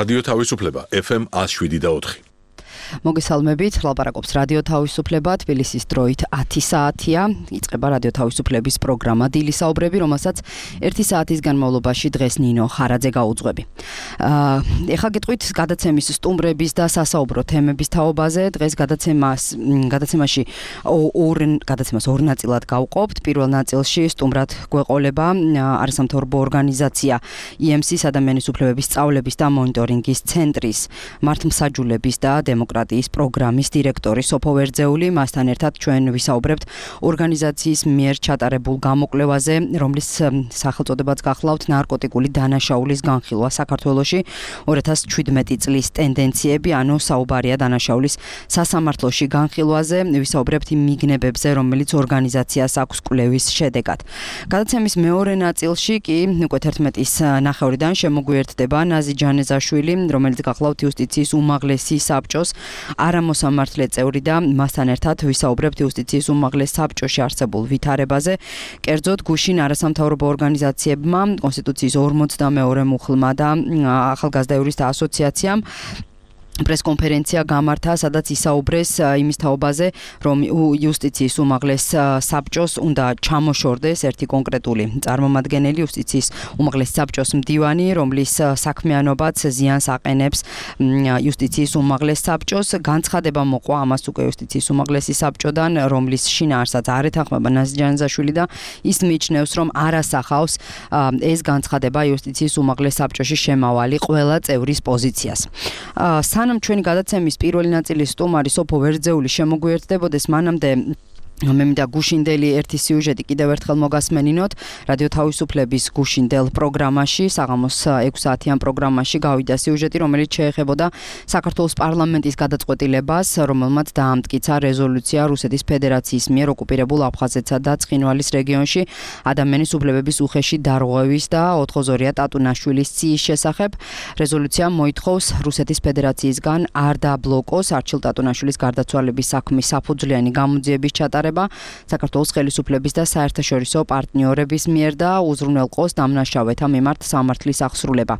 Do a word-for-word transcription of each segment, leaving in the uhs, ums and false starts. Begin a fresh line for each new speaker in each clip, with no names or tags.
რადიო თავისუფლება ეფ ემ ათს შვიდი და ოთხი.
მოგესალმებით, ლაპარაკობს რადიო თავისუფლება, თბილისის დროით ათი საათია. იწყება რადიო თავისუფლების პროგრამა დილის საუბრები, რომელსაც ერთი საათის განმავლობაში დღეს ნინო ხარაძე გაუძღვები. ეხლა გეტყვით გადაცემის სტუმრების და სასაუბრო თემების თაობაზე. დღეს გადაცემას გადაცემაში ორ გადაცემას ორ ნაწილად გავყოფთ. პირველ ნაწილში სტუმრად გვეყოლება არასამთავრობო ორგანიზაცია ი ემ სი-ის ადამიანის უფლებების სწავლების და მონიტორინგის ცენტრის მართლმსაჯულების და დემოკრატიის პროგრამის დირექტორი სოფო ვერძეული. მასთან ერთად ჩვენ ვისაუბრებთ ორგანიზაციის მიერ ჩატარებულ გამოკვლევაზე, რომლის სახელწოდებაც გახლავთ ნარკოტიკული დანაშაულის განხილვა საქართველოში ორი ათას ჩვიდმეტი წლის ტენდენციები, ანუ საუბარია დანაშაულის სასამართლოში განხილვაზე. ვისაუბრებთ იმ მიგნებებზე, რომელიც ორგანიზაციას აქვს კვლევის შედეგად. გადაცემის მეორე ნაწილში კი უკვე თერთმეტის ნახევრიდან შემოგვიერთდება ნაზი ჯანეზაშვილი, რომელიც გახლავთ იუსტიციის უმაღლესი საბჭოს არამოსამართლე წევრი და მასთან ერთად ვისაუბრებთ იუსტიციის უმაღლეს საბჭოში არსებულ ვითარებაზე. კერძოდ გუშინ არასამთავრობო ორგანიზაციებმა, კონსტიტუციის ორმოცდამეორე მუხლმა და ახალგაზრდა იურისტთა ასოციაციამ პრესკონფერენცია გამართა, სადაც ისაუბრეს იმის თაობაზე, რომ იუსტიციის უმაღლეს საბჭოს უნდა ჩამოშორდეს ერთი კონკრეტული წარმომადგენელი, იუსტიციის უმაღლეს საბჭოს მდივანი, რომლის საქმიანობაც ზიანს აყენებს იუსტიციის უმაღლეს საბჭოს. განცხადება მოყვა ამას უკვე იუსტიციის უმაღლესი საბჭოდან, რომლის შინაარსაც არ ეთანხმება ნაზი ჯანეზაშვილი და ის მიიჩნევს, რომ არ ასახავს ეს განცხადება იუსტიციის უმაღლეს საბჭოში შემავალი ყველა წევრის პოზიციას. სანამ ჩვენი გადაცემის პირველი ნაწილის სტუმარი სოფო ვერძეული შემოგვიერთდებოდეს, მანამდე მე მინდა გუშინდელი ერთი სიუჟეტი კიდევ ერთხელ მოგასმენინოთ. რადიო თავისუფლების გუშინდელ პროგრამაში, საღამოს ექვსი საათიან პროგრამაში გავიდა სიუჟეტი, რომელიც შეეხებოდა საქართველოს პარლამენტის გადაწყვეტილებას, რომელმაც დაამტკიცა რეზოლუცია რუსეთის ფედერაციის მიერ ოკუპირებულ აფხაზეთსა და ცხინვალის რეგიონში ადამიანის უფლებების უხეში დარღვევის და ოთხოზორია ტატუნაშვილის ციის შესახებ. რეზოლუცია მოითხოვს რუსეთის ფედერაციისგან არ დაბლოკოს არჩილ ტატუნაშვილის გარდაცვალების საქმის საფუძვლიანი გამოძიების ჩატარება საქართველოს ხელისუფლების და საერთაშორისო პარტნიორების მიერ და უზრუნველყოს დამნაშავეთა მიმართ სამართლის აღსრულება.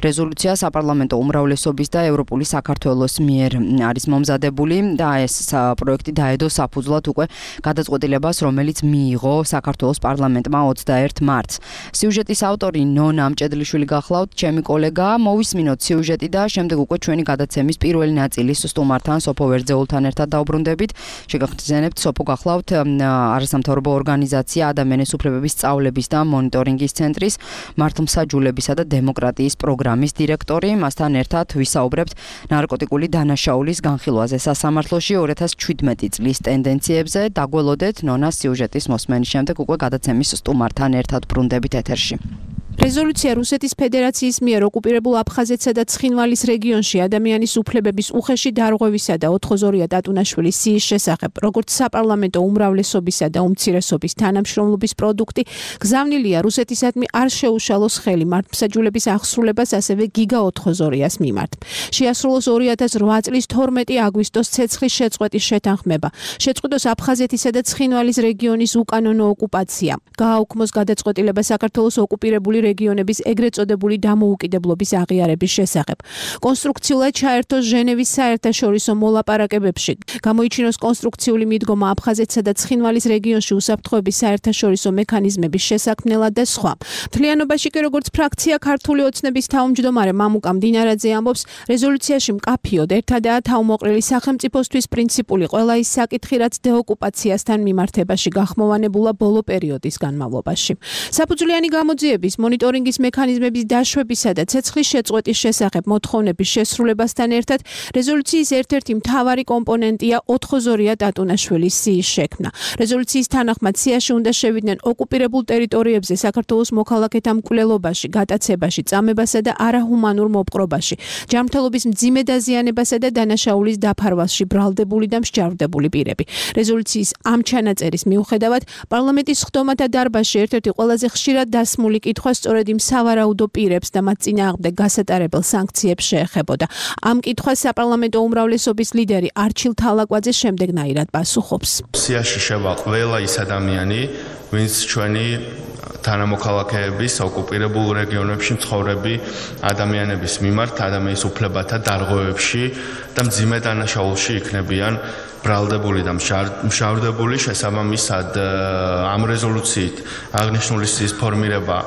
რეზოლუცია საპარლამენტო უმრავლესობის და ევროპული საქართველოს მიერ არის მომზადებული და ეს პროექტი დაედო საფუძვლად უკვე გადაწყვეტილებას, რომელიც მიიღო საქართველოს პარლამენტმა ოცდაერთ მარტს. სიუჟეტის ავტორი ნონა მჭედლიშვილი გახლავთ, ჩემი კოლეგა. მოვისმინოთ სიუჟეტი და შემდეგ უკვე ჩვენი გადაცემის პირველი ნაწილის სტუმართან სოფო ვერძეულთან ერთად დაუბრუნდებით. შეგახსენებთ სოფო გახლავთ არასამთავრობო ორგანიზაცია ადამიანის უფლებების სწავლების და მონიტორინგის ცენტრის მართლმსაჯულებისა და დემოკრატიის პროგრამის დირექტორი. მასთან ერთად ვისაუბრებთ ნარკოტიკული დანაშაულის განხილვაზე სასამართლოში ორი ათას ჩვიდმეტი წლის ტენდენციებზე. დაგველოდეთ ნონას სიუჟეტის მოსმენის შემდეგ უკვე გადაცემის სტუმართან ერთად ბრუნდებით ეთერში.
რეზოლუცია რუსეთის ფედერაციის მიერ ოკუპირებულ აფხაზეთსა და ცხინვალის რეგიონში ადამიანის უფლებების უხეში დარღვევისა და ოთხოზორია ტატუნაშვილის ციის შესახებ, როგორც საპარლამენტო უმრავლესობისა და უმცირესობის თანამშრომლობის პროდუქტი, გზავნილია რუსეთისადმი არ შეუშალოს ხელი მართლმსაჯულების აღსრულებას, ასევე გიგა ოთხოზორიას მიმართ. შეასრულოს ორი ათას რვა წლის თორმეტი აგვისტოს ცეცხლის შეწყვეტის შეთანხმება. შეწყვიტოს აფხაზეთისა და ცხინვალის რეგიონის უკანონო ოკუპაცია. გააუქმოს გადაწყვეტილება საქართველოს ოკუპირებული რეგიონების ეგრეთ წოდებული დამოუკიდებლობის აღიარების შესახებ. კონსტრუქციულად ჩაერთოს ჟენევის საერთაშორისო მოლაპარაკებებში. გამოიჩინოს კონსტრუქციული მიდგომა აფხაზეთსა და ცხინვალის რეგიონში უსაფრთხოების საერთაშორისო მექანიზმების შესაქმნელად და სხვა. მთლიანობაში კი როგორც ფრაქცია ქართული ოცნების თავმჯდომარე მამუკა მდინარაძე ამბობს, რეზოლუციაში მკაფიოდ ერთადაა თავმოყრილი სახელმწიფოსთვის პრინციპული ყველა ის საკითხი, რაც დეოკუპაციასთან მიმართებაში გახმოვანებულა ბოლო პერიოდის განმავლობაში. საფუძვლიანი გამოძიების მონიტორინგის მექანიზმების დაშვებისა და ცეცხლის შეწყვეტის შესახებ მოთხოვნების შესრულებასთან ერთად რეზოლუციის ერთ-ერთი მთავარი კომპონენტია ოთხოზორია ტატუნაშვილის ციის შექმნა. რეზოლუციის თანახმად ციაში უნდა შევიდნენ ოკუპირებულ ტერიტორიებზე საქართველოს მოქალაქეთა მკვლელობაში, გატაცებაში, წამებასა და არაჰუმანურ მოპყრობაში, ჯანმრთელობის მძიმე დაზიანებასა და დანაშაულის დაფარვასში ბრალდებული და მსჯავრდებული პირები. რეზოლუციის ამ ჩანაწერის მიუხედავად, პარლამენტის სხდომათა დარბაზში ერთ-ერთი ყველაზე ხშირად დასმული კითხვა სწორედ იმ სავარაუდო პირებს და მათ წინააღმდეგ გასატარებელ სანქციებს შეეხებოდა. ამ კითხვას საპარლამენტო უმრავლესობის ლიდერი არჩილ თალაკვაძე შემდეგნაირად პასუხობს.
სიაში შევა ყველა ის ადამიანი, ვინც ჩვენი თანამოქალაქეების ოკუპირებულ რეგიონებში მცხოვრები ადამიანების მიმართ ადამიანის უფლებათა დარღვევებში და მძიმე დანაშაულში იქნებიან ბრალდებული და მშავდებული. შესაბამისად ამ რეზოლუციით აღნიშნული სიის ფორმირება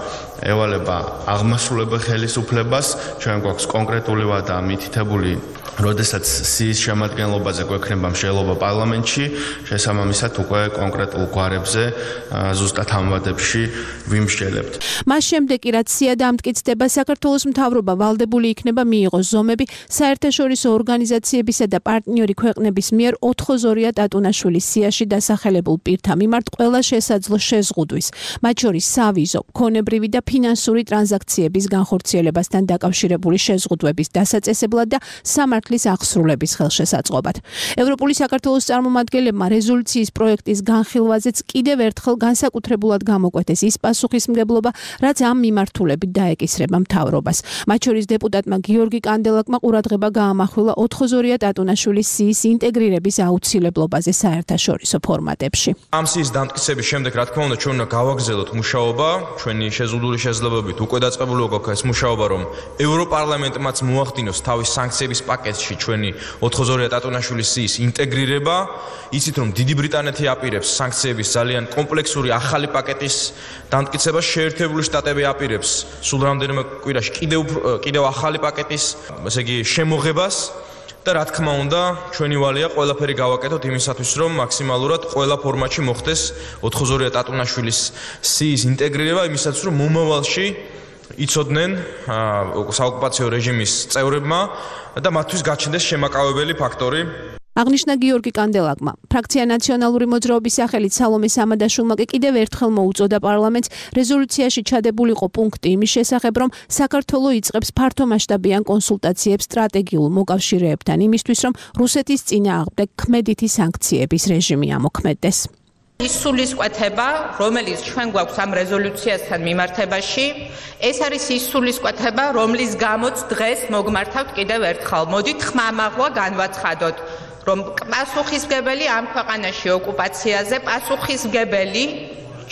ევალება აღმასრულებელ ხელისუფლებას. ჩვენ გვაქვს კონკრეტული ვადა მითითებული, როდესაც სიის შემადგენლობაზე გვექნება მსჯელობა პარლამენტში, შესაბამისად უკვე კონკრეტულ გვარებზე ზუსტად ამ ვადებში ვიმსჯელებთ.
მას შემდეგ კი რაც სია დამტკიცდება, საქართველოს მთავრობა ვალდებული იქნება მიიღოს ზომები საერთაშორისო ორგანიზაციებისა და პარტნიორი ქვეყნების მიერ ოთხოზორია ტატუნაშვილის სიაში დასახელებულ პირთა მიმართ ყველა შესაძლო შეზღუდვის, მათ შორის სავიზო, ქონებრივი და ფინანსური ტრანზაქციების განხორციელებასთან დაკავშირებული შეზღუდვების დასაწესებლად და სამართლის აღსრულების ხელშესაწყობად. ევროპული საქართველოს წარმომადგენლებმა რეზოლუციის პროექტის განხილვაზეც კიდევ ერთხელ განსაკუთრებულად გამოკვეთეს ის პასუხისმგებლობა, რაც ამ მიმართულებით დაეკისრება მთავრობას. მათ შორის დეპუტატმა გიორგი კანდელაკმა ყურადღება გაამახვილა ოთხოზორია ტატუნაშვილის სიის ინტეგრირების აუცილებლობაზე საერთაშორისო ფორმატებში.
ამ სიის დამტკიცების შემდეგ, რა თქმა უნდა, ჩვენ უნდა გავაგრძელოთ მუშაობა, ჩვენი შეზღუდული შესაძლებლობით უკვე დაწყებული გვაქვს ეს მუშაობა, რომ ევროპარლამენტმაც მოახდინოს თავის სანქციების პაკეტში ჩვენი ოთხოზორია ტატუნაშვილის სიის ინტეგრირება. იცით, რომ დიდი ბრიტანეთი აპირებს სანქციების ძალიან კომპლექსური ახალი პაკეტის დამტკიცებას, შეერთებული შტატები აპირებს სულ რამდენიმე კვირაში კიდევ კიდევ ახალი პაკეტის, ესე იგი, შემოღებას. და რა თქმა უნდა, ჩვენი ვალია ყველაფერი გავაკეთოთ იმისათვის, რომ მაქსიმალურად ყველა ფორმატში მოხდეს ოთხოზორია ტატუნაშვილის სიის ინტეგრირება, იმისათვის, რომ მომავალში იცოდნენ საოკუპაციო რეჟიმის წევრებმა და მათთვის გაჩნდეს შემაკავებელი ფაქტორი.
აღნიშნა გიორგი კანდელაკმა. ფრაქცია ნაციონალური მოძრაობის სახელით სალომე სამადაშვილმა კიდევ ერთხელ მოუწოდა პარლამენტს რეზოლუციაში ჩადებულიყო პუნქტი იმის შესახებ, რომ საქართველო იწყებს ფართომასშტაბიან კონსულტაციებს სტრატეგიულ მოკავშირეებთან იმისთვის, რომ რუსეთის წინააღმდეგ ქმედითი სანქციების რეჟიმი ამოქმედდეს.
ის სულისკვეთება, რომელიც ჩვენ გვაქვს ამ რეზოლუციასთან მიმართებაში, ეს არის ის სულისკვეთება, რომლის გამოც დღეს მოგმართავთ კიდევ ერთხელ. მოდით ხმამაღლა განვაცხადოთ, რომ პასუხისმგებელი ამ ქვეყანაში ოკუპაციაზე, პასუხისმგებელი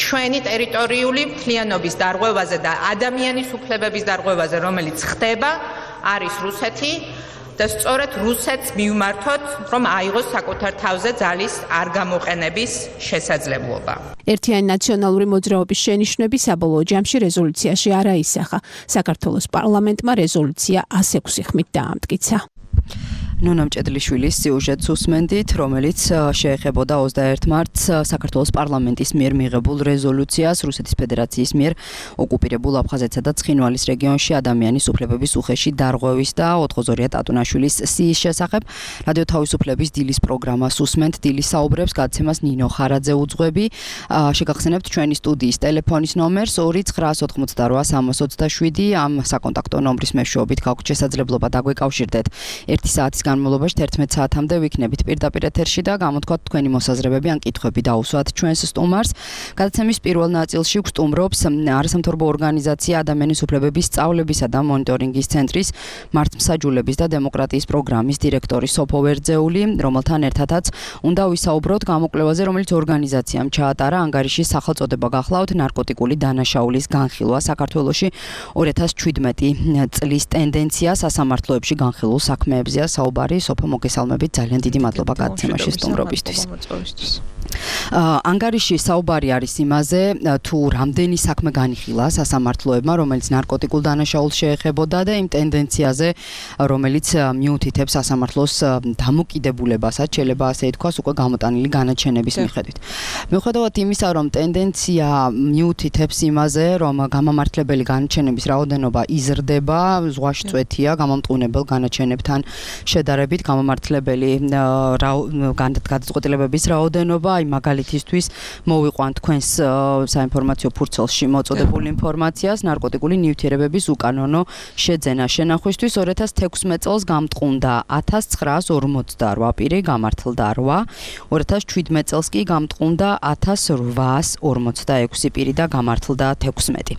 ჩვენი ტერიტორიული მთლიანობის დარღვევაზე და ადამიანის უფლებების დარღვევაზე, რომელიც ხდება, არის რუსეთი. და სწორედ რუსეთს მივმართოთ, რომ აიღოს საკუთარ თავზე ძალის არ გამოყენების შესაძლებლობა.
ერთიანი ნაციონალური მოძრაობის შენიშვნები საბოლოო ჯამში რეზოლუციაში არ აისახა. საქართველოს პარლამენტმა რეზოლუცია ას ექვსი ხმით დაამტკიცა.
ნონა მჭედლიშვილის სიუჟეტს უსმენდით, რომელიც შეეხებოდა ოცდაერთ მარტს საქართველოს პარლამენტის მიერ მიღებულ რეზოლუციას რუსეთის ფედერაციის მიერ ოკუპირებულ აფხაზეთსა და ცხინვალის რეგიონში ადამიანის უფლებების უხეში დარღვევის და ოთხოზორია ტატუნაშვილის სიის შესახებ. რადიო თავისუფლების დილის პროგრამას უსმენთ, დილის საუბრებს გადაცემას ნინო ხარაძე უძღვები. შეგახსენებთ ჩვენი სტუდიის ტელეფონის ნომერს ორი ცხრაას ოთხმოცდარვა სამას ოცდაშვიდი. ამ საკონტაქტო ნომრის მეშვეობით გაქვთ შესაძლებლობა დაგვეკავშირდეთ ერთი საათის განმავლობაში თერთმეტ საათამდე ვიქნებით პირდაპირ ეთერში და გამოთქვათ თქვენი მოსაზრებები ან კითხვები დაუსვათ ჩვენს სტუმარს. გადაცემის პირველ ნაწილში გვსტუმრობს არასამთავრობო ორგანიზაცია ადამიანის უფლებების სწავლებისა და მონიტორინგის ცენტრის მართლმსაჯულების და დემოკრატიის პროგრამის დირექტორი სოფო ვერძეული, რომელთან ერთადაც უნდა ვისაუბროთ გამოკვლევაზე, რომელიც ორგანიზაციამ ჩაატარა ანგარიშის სახელწოდება გახლავთ ნარკოტიკული დანაშაულის განხილვა საქართველოში ორი ათას ჩვიდმეტი წლის ტენდენცია სასამართლოებში განხილულ საქმეებზეა საუბარი. სოფო მოგესალმებით, ძალიან დიდი მადლობა გადაცემაში სტუმრობისთვის. ანგარიში საუბარი არის იმაზე, თუ რამდენი საქმე განიხილა სასამართლოებმა, რომელიც ნარკოტიკულ დანაშაულს შეეხებოდა და იმ ტენდენციაზე, რომელიც მიუთითებს სასამართლოს დამოკიდებულებასაც, შეიძლება ასე ითქვას, უკვე გამოტანილი განაჩენების მიხედვით. მიუხედავად იმისა, რომ ტენდენცია მიუთითებს იმაზე, რომ გამამართლებელი განაჩენების რაოდენობა იზრდება, ზღვაში წვეთია გამომტყუნებელ განაჩენებთან შედარებით გამამართლებელი გადაწყვეტილებების რაოდენობა. აი მაგალითისთვის მოვიყვანთ თქვენს საინფორმაციო ფურცელში მოწოდებულ ინფორმაციას ნარკოტიკული ნივთიერებების უკანონო შეძენა შენახვისთვის ორი ათას თექვსმეტ წელს გამტყუნდა ათას ცხრაას ორმოცდარვა პირი, გამართლდა რვა, ორი ათას შვიდმეტ წელს კი გამტყუნდა ათას რვაას ორმოცდაექვსი პირი და გამართლდა თექვსმეტი.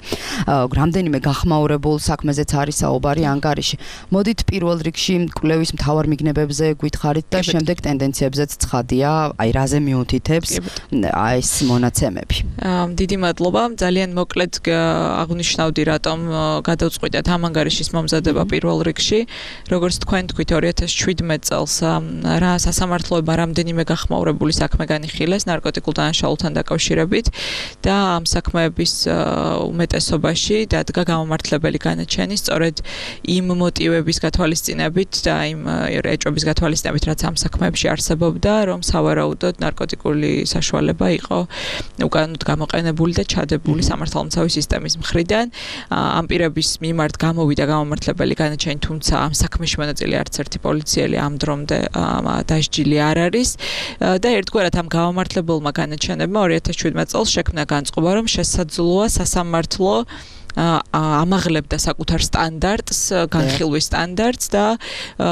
რამდენიმე გახმაურებულ საქმეზეც არის საუბარი ანგარიში. მოდით პირველ რიგში კვლევის მთავარ მიგნებებზე გითხარით და შემდეგ ტენდენციებზეც ცხადია, აი რაზე მიუთითებს აი ეს მონაცემები.
დიდი მადლობა. ძალიან მოკლედ აღნიშნავდი, რატომ გადავწყვიტეთ ამ ანგარიშის მომზადება პირველ რიგში. როგორც თქვენ თქვით, ორი ათას შვიდმეტ წელს რა სასამართლოებმა რამდენიმე გახმაურებული საქმე განიხილეს ნარკოტიკულ დანაშაულთან დაკავშირებით და ამ საქმეების უმეტესობაში დადგა გამომართლებელი განაჩენი სწორედ იმ მოტივების გათვალისწინებით და იმ ეჭვების გათვალისწინებით, რაც ამ საქმეებში არსებობდა, რომ სავარაუდოდ ნარკოტიკული საშუალება იყო უკანონოდ გამოყენებული და ჩადებული სამართალმცავი სისტემის მხრიდან. ამ პირების მიმართ გამოვიდა გამომართლებელი განაჩენი, თუმცა ამ საქმეში მონაწილე არც ერთი პოლიციელი ამ დრომდე დასჯილი არ არის და ერთგვარად ამ გამომართლებელმა განაჩენებმა ორი ათას შვიდმეტ წელს შექმნა განწყობა, რომ შესაძლოა სასამართლო ამაღლებდა საკუთარ სტანდარტს, განხილვის სტანდარტს და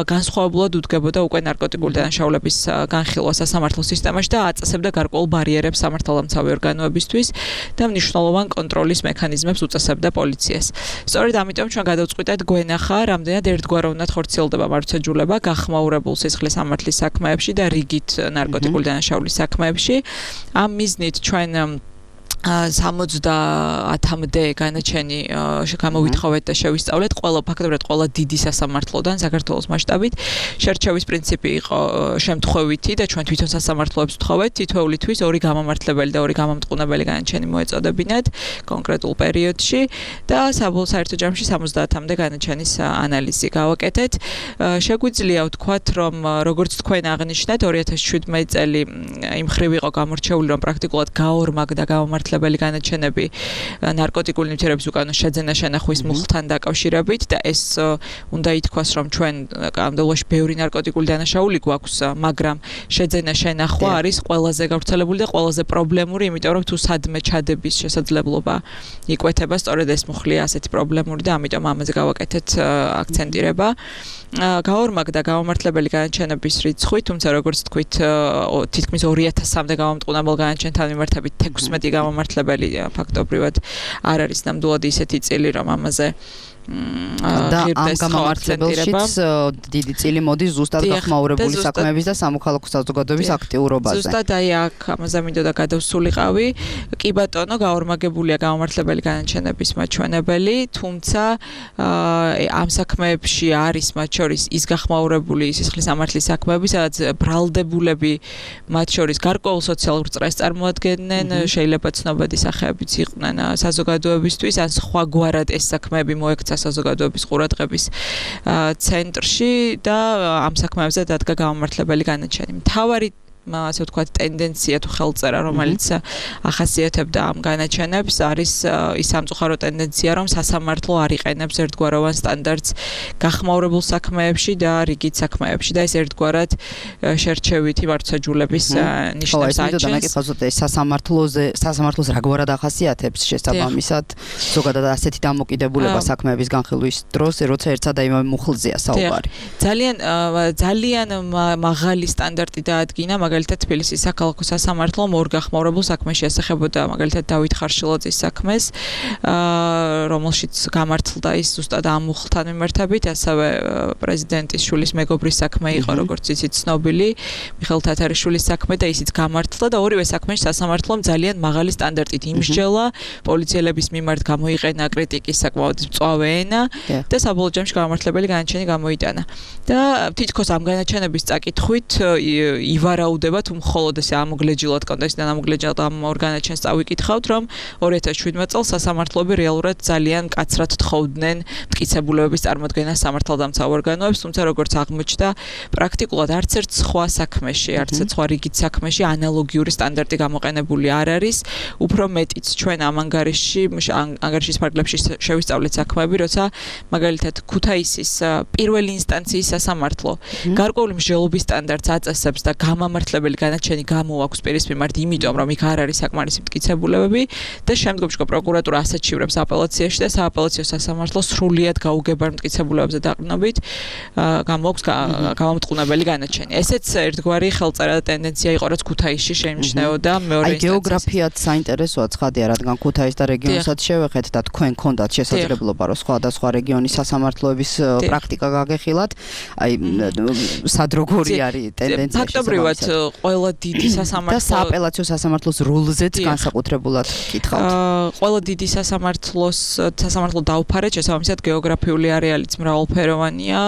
განსხვავებულად უდგებოდა უკვე ნარკოტიკული დანაშაულების განხილვა სასამართლო სისტემაში და აწესებდა გარკვეულ ბარიერებს სამართალდამცავი ორგანოებისთვის და მნიშვნელოვან კონტროლის მექანიზმებს უწესებდა პოლიციას. სწორედ ამიტომ ჩვენ გადავწყვიტეთ გვენახა, რამდენად ერთგვაროვნად ხორციელდება მართლმსაჯულება გახმაურებულ სისხლის სამართლის საქმეებში და რიგით ნარკოტიკული დანაშაულის საქმეებში. ამ მიზნით ჩვენ სამოცდაათამდე განაჩენი გამოვითხოვეთ და შევისწავლეთ ყველა ფაქტობრივად ყველა დიდი სასამართლოდან საქართველოს მასშტაბით. შერჩევის პრინციპი იყო შემთხვევითი და ჩვენ თვითონ სასამართლოებს ვთხოვეთ თითოეული თვის ორი გამომართლებელი და ორი გამომტყუნებელი განაჩენი მოეწოდებინათ კონკრეტულ პერიოდში და საბოლოო საერთო ჯამში სამოცდაათამდე განაჩენის ანალიზი გავაკეთეთ. შეგვიძლია ვთქვათ, რომ როგორც თქვენ აღნიშნეთ, ორი ათას შვიდმეტ წელი იმ ხრივ იყო გამორჩეული, რომ პრაქტიკულად გაორმაგდა გამომართლებელი განაჩენები ნარკოტიკული ნივთიერების უკანონო შეძენა შენახვის მუხლთან დაკავშირებით და ეს უნდა ითქვას, რომ ჩვენ ამდელოში ბევრი ნარკოტიკული დანაშაული გვაქვს, მაგრამ შეძენა შენახვა არის ყველაზე გავრცელებული და ყველაზე პრობლემური, იმიტომ რომ თუ სადმე ჩადების შესაძლებლობა იკვეთება, სწორედ ეს მუხლია ასეთი პრობლემური და ამიტომ ამაზე გავაკეთეთ აქცენტირება. გაორმაგდა გამომართლებელი განაჩენების რიცხვი, თუმცა როგორც თქვით, თითქმის ორი ათასამდე გამომტყუნებელ განაჩენთან მიმართებით თექვსმეტი გამომართლებელი ფაქტობრივად არ არის ნამდვილად ისეთი წილი, რომ ამაზე
და ამ გამომართლებელშიც დიდი წილი მოდის ზუსტად გახმაურებული საქმეების და სამოქალაქო საზოგადოების აქტიურობაზე.
ზუსტად აი აქ ამაზე მინდოდა გადავსულიყავი. კი ბატონო, გაორმაგებულია გამომართლებელი განაჩენების მაჩვენებელი, თუმცა ამ საქმეებში არის მათ შორის ის გახმაურებული სისხლის სამართლის საქმეები, სადაც ბრალდებულები მათ შორის გარკვეულ სოციალურ წრეს წარმოადგენენ, შეიძლება ცნობადი სახეებიც იყვნენ საზოგადოებისთვის, ან სხვაგვარად ეს საქმეები მოექცა საზოგადოების ყურადღების ცენტრში და ამ საქმეებზე დადგა გამომართლებელი განაჩენი. მთავარი ასე ვთქვათ ტენდენცია თუ ხელწერა, რომელიც ახასიათებდა ამ განაჩენებს, არის ის სამწუხარო ტენდენცია, რომ სასამართლო არ იყენებს ერთგვაროვან სტანდარტს გახმაურებულ საქმეებში და რიგით საქმეებში და ეს ერთგვარად შერჩევითი მართლმსაჯულების ნიშნებს
აჩენს. სასამართლოზე სასამართლოს რაგვარად ახასიათებს შესაბამისად ზოგადად ასეთი დამოკიდებულება საქმეების განხილვის დროს, როცა ერთსა და იმავე მუხლზეა საუბარი.
ძალიან ძალიან მაღალი სტანდარტი დაადგინა, მაგალითად თბილისის საქალაქო სასამართლომ ორ გახმაურებულ საქმეში ასახებოდა მაგალითად დავით ხარშილაძის საქმეს, რომელშიც გამართლდა ის ზუსტად ამ მუხლთან მიმართებით, ასევე პრეზიდენტის შვილის მეგობრის საქმე იყო, როგორც იცით, ცნობილი მიხეილ თათარიშვილის საქმე და ისიც გამართლდა და ორივე საქმეში სასამართლომ ძალიან მაღალი სტანდარტით იმსჯელა, პოლიციელების მიმართ გამოიყენა კრიტიკის საკმაოდ მწვავე ენა და საბოლოო ჯამში გამართლებელი განაჩენი გამოიტანა. და თითქოს ამ განაჩენების წაკითხვით ივარაუდება თუ მხოლოდ ესე ამოგლეჯილად კონტექსტიდან ამოგლეჯილად ამ ორგანაჩენს წავიკითხავთ, რომ ორი ათას შვიდმეტ წელს სასამართლოები რეალურად ძალიან კაცრად თხოვდნენ მტკიცებულებების წარმოდგენას სამართალდამცავ ორგანოებს, თუმცა როგორც აღმოჩნდა, პრაქტიკულად არც ერთ სხვა საქმეში, არც ერთ სხვა რიგით საქმეში ანალოგიური სტანდარტი გამოყენებული არ არის, უფრო მეტიც ჩვენ ამ ანგარიშში, ანგარიშის ფარგლებში შევისწავლეთ საქმეები, როცა მაგალითად ქუთაისის პირველი ინსტანციის სასამართლო გარკვეული მსჯელობის სტანდარტს აწესებს და გამომართლებელი განაჩენი გამოაქვს პირის მიმართ, იმიტომ რომ იქ არ არის საკმარისი მტკიცებულებები და შემდგომში პროკურატურა ასაჩივრებს აპელაციაში და სააპელაციო სასამართლო სრულიად გაუგებარ მტკიცებულებებზე დაყრდნობით გამოაქვს გამომტყუნებელი განაჩენი. ესეც ერთგვარი ხელწერა და ტენდენცია იყო, რაც ქუთაისში შეიმჩნეოდა მეორე ინსტანციაში.
აი გეოგრაფიად საინტერესოა ცხადია, რადგან ქუთაის და რეგიონსაც შევეხეთ და თქვენ გქონდათ შესაძლებლობა, რომ სხვადასხვა რეგიონის სასამართლოების პრაქტიკა გაგეხილათ, აი სად როგორი არის ტენდენცია?
ფაქტობრივად ყველა დიდი სასამართლო
და სააპელაციო სასამართლოს რულზეც განსაკუთრებულად კითხავთ.
ყველა დიდი სასამართლოს სასამართლო დაუფარეთ, შესაბამისად გეოგრაფიული არეალიც მრავალფეროვანია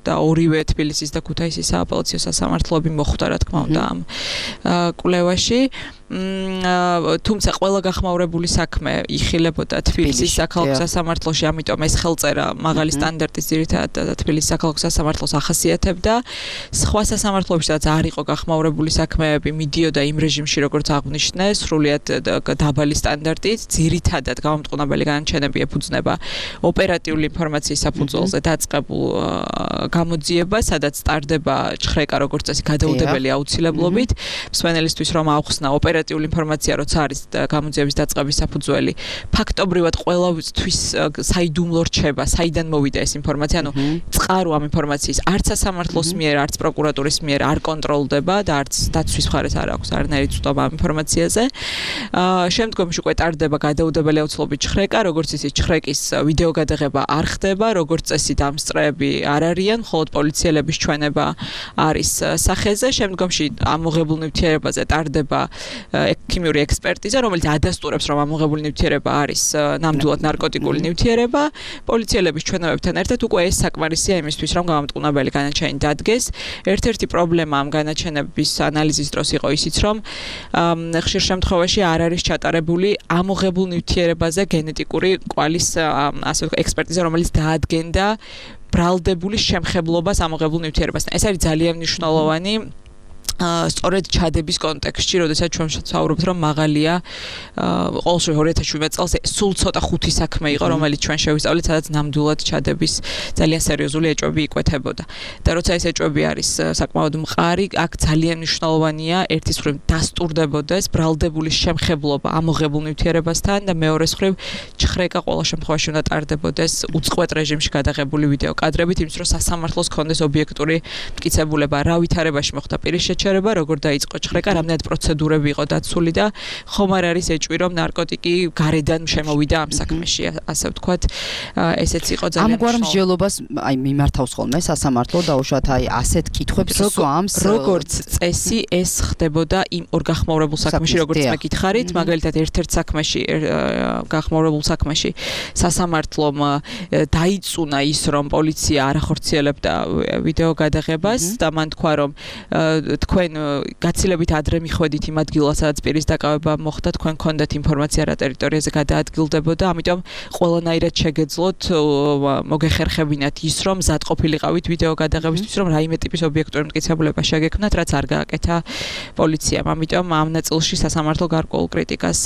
და ორივე თბილისის და ქუთაისის სააპელაციო სასამართლოები მოხვდა რა თქმა უნდა ამ კვლევაში. თუმცა ყველა გახმაურებული საქმე იხილებოდა თბილისის საქალაქო სასამართლოში, ამიტომ ეს ხელწერა მაღალი სტანდარტის ძირითადად თბილისის საქალაქო სასამართლოს ახასიათებდა. სხვა სასამართლოებში სადაც არ იყო გახმაურებული საქმეები, მიდიოდა იმ რეჟიმში, როგორც აღნიშნე, სრულიად დაბალი სტანდარტით, ძირითადად გამომტყუნებელი განაჩენები ეფუძნება ოპერატიული ინფორმაციის საფუძველზე დაწყებულ გამოძიებას, სადაც ტარდება ჭხრეკა როგორც წესი გადაუდებელი აუცილებლობით, მსმენელისთვის რომ აუხსნა ოპერატიული ინფორმაცია, როცა არის გამოძიების დაწყების საფუძველი, ფაქტობრივად ყველასთვის საიდუმლო რჩება, საიდან მოვიდა ეს ინფორმაცია, ანუ წყარო ამ ინფორმაციის არც სასამართლოს მიერ, არც პროკურატურის მიერ არ კონტროლდება და არც დაცვის მხარეს არ აქვს არანაირი ცნობა ამ ინფორმაციაზე. შემდგომში უკვე ტარდება გადაუდებელი აუცილებლობით ჭხრეკა, როგორც ისე ჭხრეკის ვიდეო გადაღება არ ხდება, როგორც წესი დამსწრეები არ არიან, მხოლოდ პოლიციელების ჩვენება არის სახეზე. შემდგომში ამოღებულ ნივთიერებაზე ტარდება ქიმიური ექსპერტიზა, რომელიც ადასტურებს, რომ ამოღებული ნივთიერება არის ნამდვილად ნარკოტიკული ნივთიერება. პოლიციელების ჩვენებებთან ერთად უკვე ეს საკმარისია იმისთვის, რომ გამომტყუნებელი განაჩენი დადგეს. ერთ-ერთი პრობლემა ამ განაჩენების ანალიზის დროს იყო ისიც, რომ ხშირ შემთხვევაში არ არის ჩატარებული ამოღებულ ნივთიერებაზე გენეტიკური კვალის ასე ვთქვათ ექსპერტიზა, რომელიც დაადგენდა ბრალდებული შემხებლობას ამოღებულ ნივთიერებასთან. ეს არის ძალიან მნიშვნელოვანი სწორედ ჩადების კონტექსტში, როდესაც ჩვენ ვსაუბრობთ, რომ მაღალია ყოველშვი ორი ათას შვიდმეტ წელს სულ ცოტა ხუთი საქმე იყო, რომელიც ჩვენ შევისწავლეთ, სადაც ნამდვილად ჩადების ძალიან სერიოზული ეჭვები იკვეთებოდა. და როცა ეს ეჭვები არის საკმაოდ მყარი, აქ ძალიან მნიშვნელოვანია ერთის მხრივ დასტურდებოდეს ბრალდებული შემხებლობა ამოღებულ ნივთიერებასთან და მეორეს მხრივ ჭხრეკა ყველა შემთხვევაში უნდა ტარდებოდეს უწყვეტ რეჟიმში გადაღებული ვიდეო კადრებით, იმის რომ სასამართლოს კონდეს ობიექტური მტკიცებულება, რა ვითარებაში მოხდა პირის შეჩერება, როგორ დაიწყო ჭხრეკა, რამდენად პროცედურები იყო დაცული და ხომ არ არის ეჭვი, რომ ნარკოტიკი გარედან შემოვიდა ამ საქმეში, ასე ვთქვათ, ესეც იყო ძალიან
ამგვარ მსჯელობას აი მიმართავს ხოლმე სასამართლო დაუშვათ აი ასეთ კითხვებს სვამს,
როგორც წესი ეს ხდებოდა იმ ორ გახმაურებულ საქმეში, როგორც მე გითხარით, მაგალითად ერთ-ერთ საქმეში, გახმაურებულ საქმეში სასამართლომ დაიწუნა ის, რომ პოლიცია არ ახორციელებდა ვიდეო გადაღებას და მან თქვა, რომ თქვენ გაცილებით ადრე მიხვედით იმ ადგილას, სადაც პირის დაკავება მოხდა, თქვენ გქონდათ ინფორმაცია რა ტერიტორიაზე გადაადგილდებოდა, ამიტომ ყველანაირად შეგეძლოთ მოგეხერხებინათ ის, რომ მზად ყოფილიყავით ვიდეო გადაღებისთვის, რომ რაიმე ტიპის ობიექტური მტკიცებულება შეგექმნათ, რაც არ გააკეთა პოლიციამ. ამიტომ ამ ნაწილში სასამართლო გარკვეულ კრიტიკას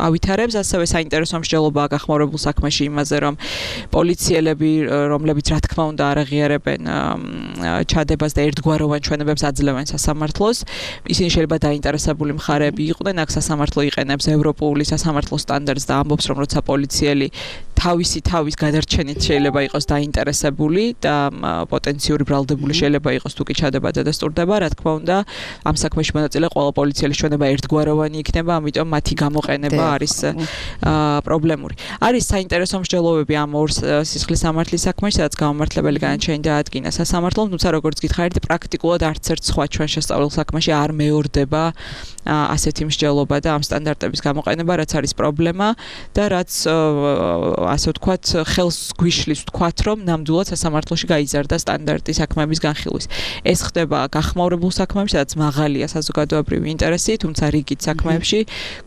ავითარებს, ასევე საინტერესო მსჯელობაა გახმაურებულ საქმეში იმაზე, რომ პოლიციელები, რომლებიც რა თქმა უნდა არ აღიარებენ ჩადებას და ერთგვაროვან ჩვენებებს აძლევენ სასამართლოს, ისინი შეიძლება დაინტერესებული მხარეები იყვნენ, აქ სასამართლო იყენებს ევროპული სასამართლო სტანდარტს და ამბობს, რომ როცა პოლიციელი თავისი თავის გადარჩენით შეიძლება იყოს დაინტერესებული და პოტენციური ბრალდებული შეიძლება იყოს თუ კი ჩადება და დასტურდება, რა თქმა უნდა, ამ საქმეში მონაწილე ყველა პოლიციელის ჩვენება ერთგვაროვანი იქნება, ამიტომ მათი გამოყენება არის პრობლემური. არის საინტერესო მსჯელობები ამ ორ სისხლის სამართლის საქმეში, სადაც გამომართლებელი განაჩენი დაადგინა სასამართლომ, თუმცა როგორც გითხარით, პრაქტიკულად არც ერთ სხვა ჩვენ შესწავლილ საქმეში არ მეორდება ასეთი მსჯელობა და ამ სტანდარტების გამოყენება, რაც არის პრობლემა და რაც ასე ვთქვათ, ხელს გვიშლის ვთქვათ, რომ ნამდვილად სასამართლოში გაიზარდა სტანდარტი საქმეების განხილვის. ეს ხდება გახმაურებულ საქმეებში, სადაც მაღალია საზოგადოებრივი ინტერესი, თუმცა რიგით საქმეებში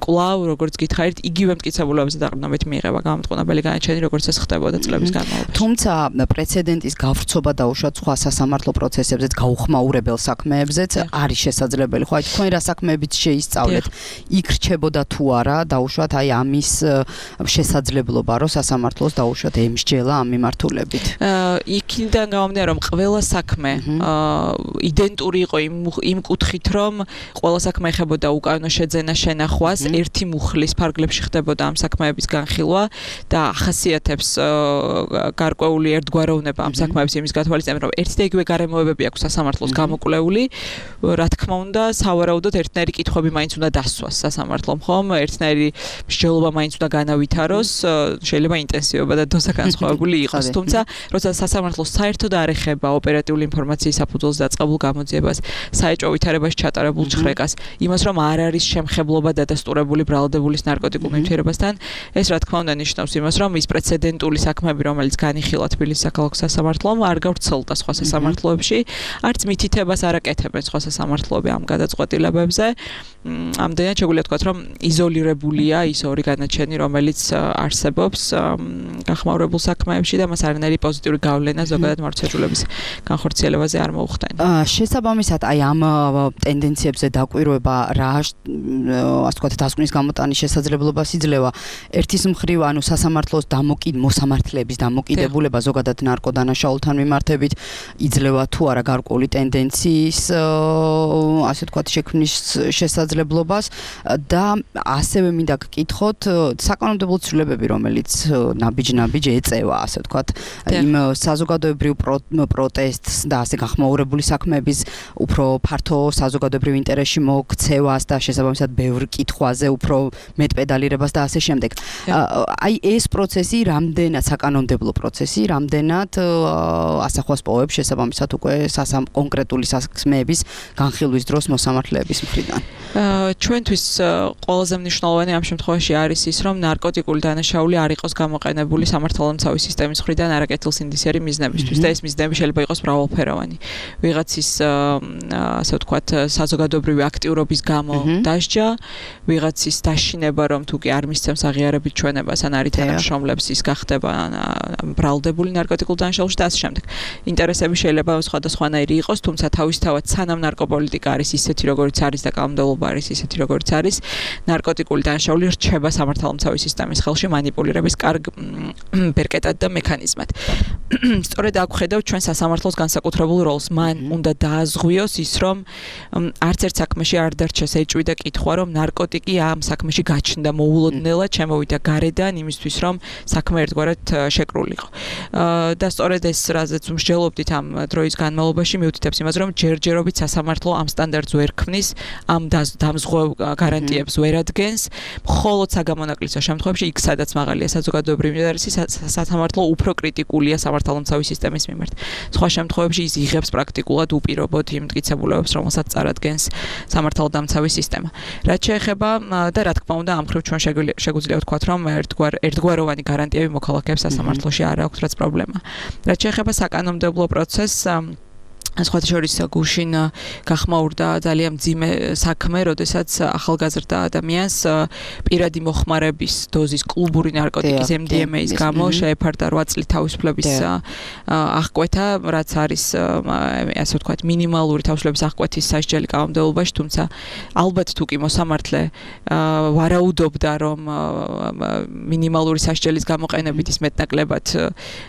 კვლავ, როგორც გითხარით, იგივე მტკიცებულებებზე დაყრდნობით მიიღება გამომტყუნებელი განაჩენი, როგორც ეს ხდებოდა წლების განმავლობაში.
თუმცა პრეცედენტის გავრცობა დაუშვათ სხვა სასამართლო პროცესებზეც, გაუხმაურებელ საქმეებზეც არის შესაძლებელი. ხო, აი თქვენ რა საქმეებით შეისწავლეთ, იქ რჩებოდა თუ არა დაუშვათ აი ამის შესაძლებლობა, რომ სასამართლოს დაუშვათ ემსჯელა ამ მიმართულებით.
იქიდან გამომდინარე, რომ ყველა საქმე იდენტური იყო იმ კუთხით, რომ ყველა საქმე ეხებოდა უკანონო შეძენა შენახვას, ერთი მუხლის ფარგლებში ხდებოდა ამ საქმეების განხილვა და ახასიათებს გარკვეული ერთგვაროვნება ამ საქმეების იმის გათვალისწინებით, რომ ერთი და იგივე გარემოებები აქვს სასამართლოს გამოკვლეული, რა თქმა უნდა, სავარაუდოდ ერთნაირი კითხვები მაინც უნდა დასვას სასამართლომ, ხომ? ერთნაირი მსჯელობა მაინც უნდა განავითაროს, შეიძლება შეიძლება ინტენსივობა და დოზა განსხვავებული იყოს. თუმცა, როცა სასამართლოს საერთოდ არ ეხება ოპერატიული ინფორმაციის საფუძველზე დაწყებულ გამოძიებას, საეჭვო ვითარებაში ჩატარებულ ჭხრეკას, იმას რომ არ არის შემხებლობა დადასტურებული ბრალდებულის ნარკოტიკულ ნივთიერებასთან, ეს რა თქმა უნდა ნიშნავს იმას, რომ ის პრეცედენტული საქმეები, რომელიც განიხილა თბილისის საქალაქო სასამართლომ, არ გავრცელდა სხვა სასამართლოებში, არც მითითებას არ აკეთებენ სხვა სასამართლოები ამ გადაწყვეტილებებზე. ამდენად შეგვიძლია ვთქვათ, რომ იზოლირებულია ის ორი განაჩენი, რომელიც არსებობს გახმაურებულ საქმეებში და მას არანაირი პოზიტიური გავლენა ზოგადად მართლმსაჯულების განხორციელებაზე არ მოუხდენ.
შესაბამისად, აი ამ ტენდენციებზე დაკვირვება რა, ასე ვთქვათ, დასკვნის გამოტანის შესაძლებლობას იძლევა. ერთის მხრივ, ანუ სასამართლოს დამოკიდ მოსამართლეების დამოკიდებულება ზოგადად ნარკოდანაშაულთან მიმართებით იძლევა თუ არა გარკვეული ტენდენციის, ასე ვთქვათ, შექმნის შესაძლებლობას და ასევე მინდა გკითხოთ საკანონმდებლო ცვლილებები, რომელიც ნაბიჯ-ნაბიჯ ეწევა, ასე ვთქვათ, იმ საზოგადოებრივ პროტესტს და ასე გახმაურებული საქმეების უფრო ფართო საზოგადოებრივ ინტერესში მოქცევას და შესაბამისად ბევრ კითხვაზე უფრო მეტპედალირებას და ასე შემდეგ. აი ეს პროცესი რამდენად საკანონმდებლო პროცესი, რამდენად ასახვას პოვებს შესაბამისად უკვე კონკრეტული საქმეების განხილვის დროს მოსამართლეების მხრიდან.
ჩვენთვის ყველაზე მნიშვნელოვანი ამ შემთხვევაში არის ის, რომ ნარკოტიკული დანაშაული არ იყოს გამოყენებული სამართალდამცავი სისტემის მხრიდან არაკეთილსინდისიერი მიზნებისთვის და ეს მიზნები შეიძლება იყოს მრავალფეროვანი. ვიღაცის ასე ვთქვათ, საზოგადოებრივი აქტიურობის გამო დასჯა, ვიღაცის დაშინება, რომ თუ კი არ მისცემს აღიარებით ჩვენებას ან არ ითანამშრომლებს, ის გახდება ბრალდებული ნარკოტიკულ დანაშაულში და ასე შემდეგ. ინტერესები შეიძლება სხვადასხვანაირი იყოს, თუმცა თავისთავად სანამ ნარკოპოლიტიკა არის ისეთი, როგორიც არის და კანონმდებლობა არის ისეთი, როგორიც არის, ნარკოტიკული დანაშაული რჩება სამართალდამცავი სისტემის ხელში მანიპულირების კარგ ბერკეტად და მექანიზმად. სწორედ აქ ხედავ ჩვენ სასამართლოს განსაკუთრებულ როლს. მან უნდა დააზღვიოს ის, რომ არც ერთ საქმეში არ დარჩეს ეჭვი და კითხვა, რომ ნარკოტიკი ამ საქმეში გაჩნდა მოულოდნელად, შემოვიდა გარედან იმისთვის, რომ საქმე ერთგვარად შეკრულიყო. და სწორედ ეს, რაზეც მსჯელობდით ამ დროის განმავლობაში, მიუთითებს იმას, რომ ჯერჯერობით სასამართლო ამ სტანდარტს ვერ ქმნის, ამ დამზღვევ გარანტიებს ვერ ადგენს, მხოლოდ საგამონაკლისო შემთხვევებში, იქ სადაც მაღალია საზოგადოებრივი ინტერესი, სასამართლო უფრო კრიტიკულია სამართალდამცავი სისტემის მიმართ. სხვა შემთხვევებში ის იღებს პრაქტიკულად უპირობოდ იმ მტკიცებულებებს, რომელსაც წარადგენს სამართალდამცავი სისტემა. რაც შეეხება და რა თქმა უნდა, ამ მხრივ ჩვენ შეგვიძლია ვთქვათ, რომ ერთგვარ ერთგვაროვანი გარანტიები მოქალაქეებს სასამართლოში არ აქვს, რაც პრობლემა. რაც შეეხება საკანონმდებლო პროცესს, სხვათა შორის გუშინ გახმაურდა ძალიან მძიმე საქმე, როდესაც ახალგაზრდა ადამიანს პირადი მოხმარების დოზის კლუბური ნარკოტიკის ემ დი ემ ეის გამო შეეფარდა რვა წლით თავისუფლების აღკვეთა, რაც არის ასე ვთქვათ, მინიმალური თავისუფლების აღკვეთის სასჯელი კანონმდებლობაში, თუმცა ალბათ თუ კი მოსამართლე ვარაუდობდა, რომ მინიმალური სასჯელის გამოყენებით ის მეტნაკლებად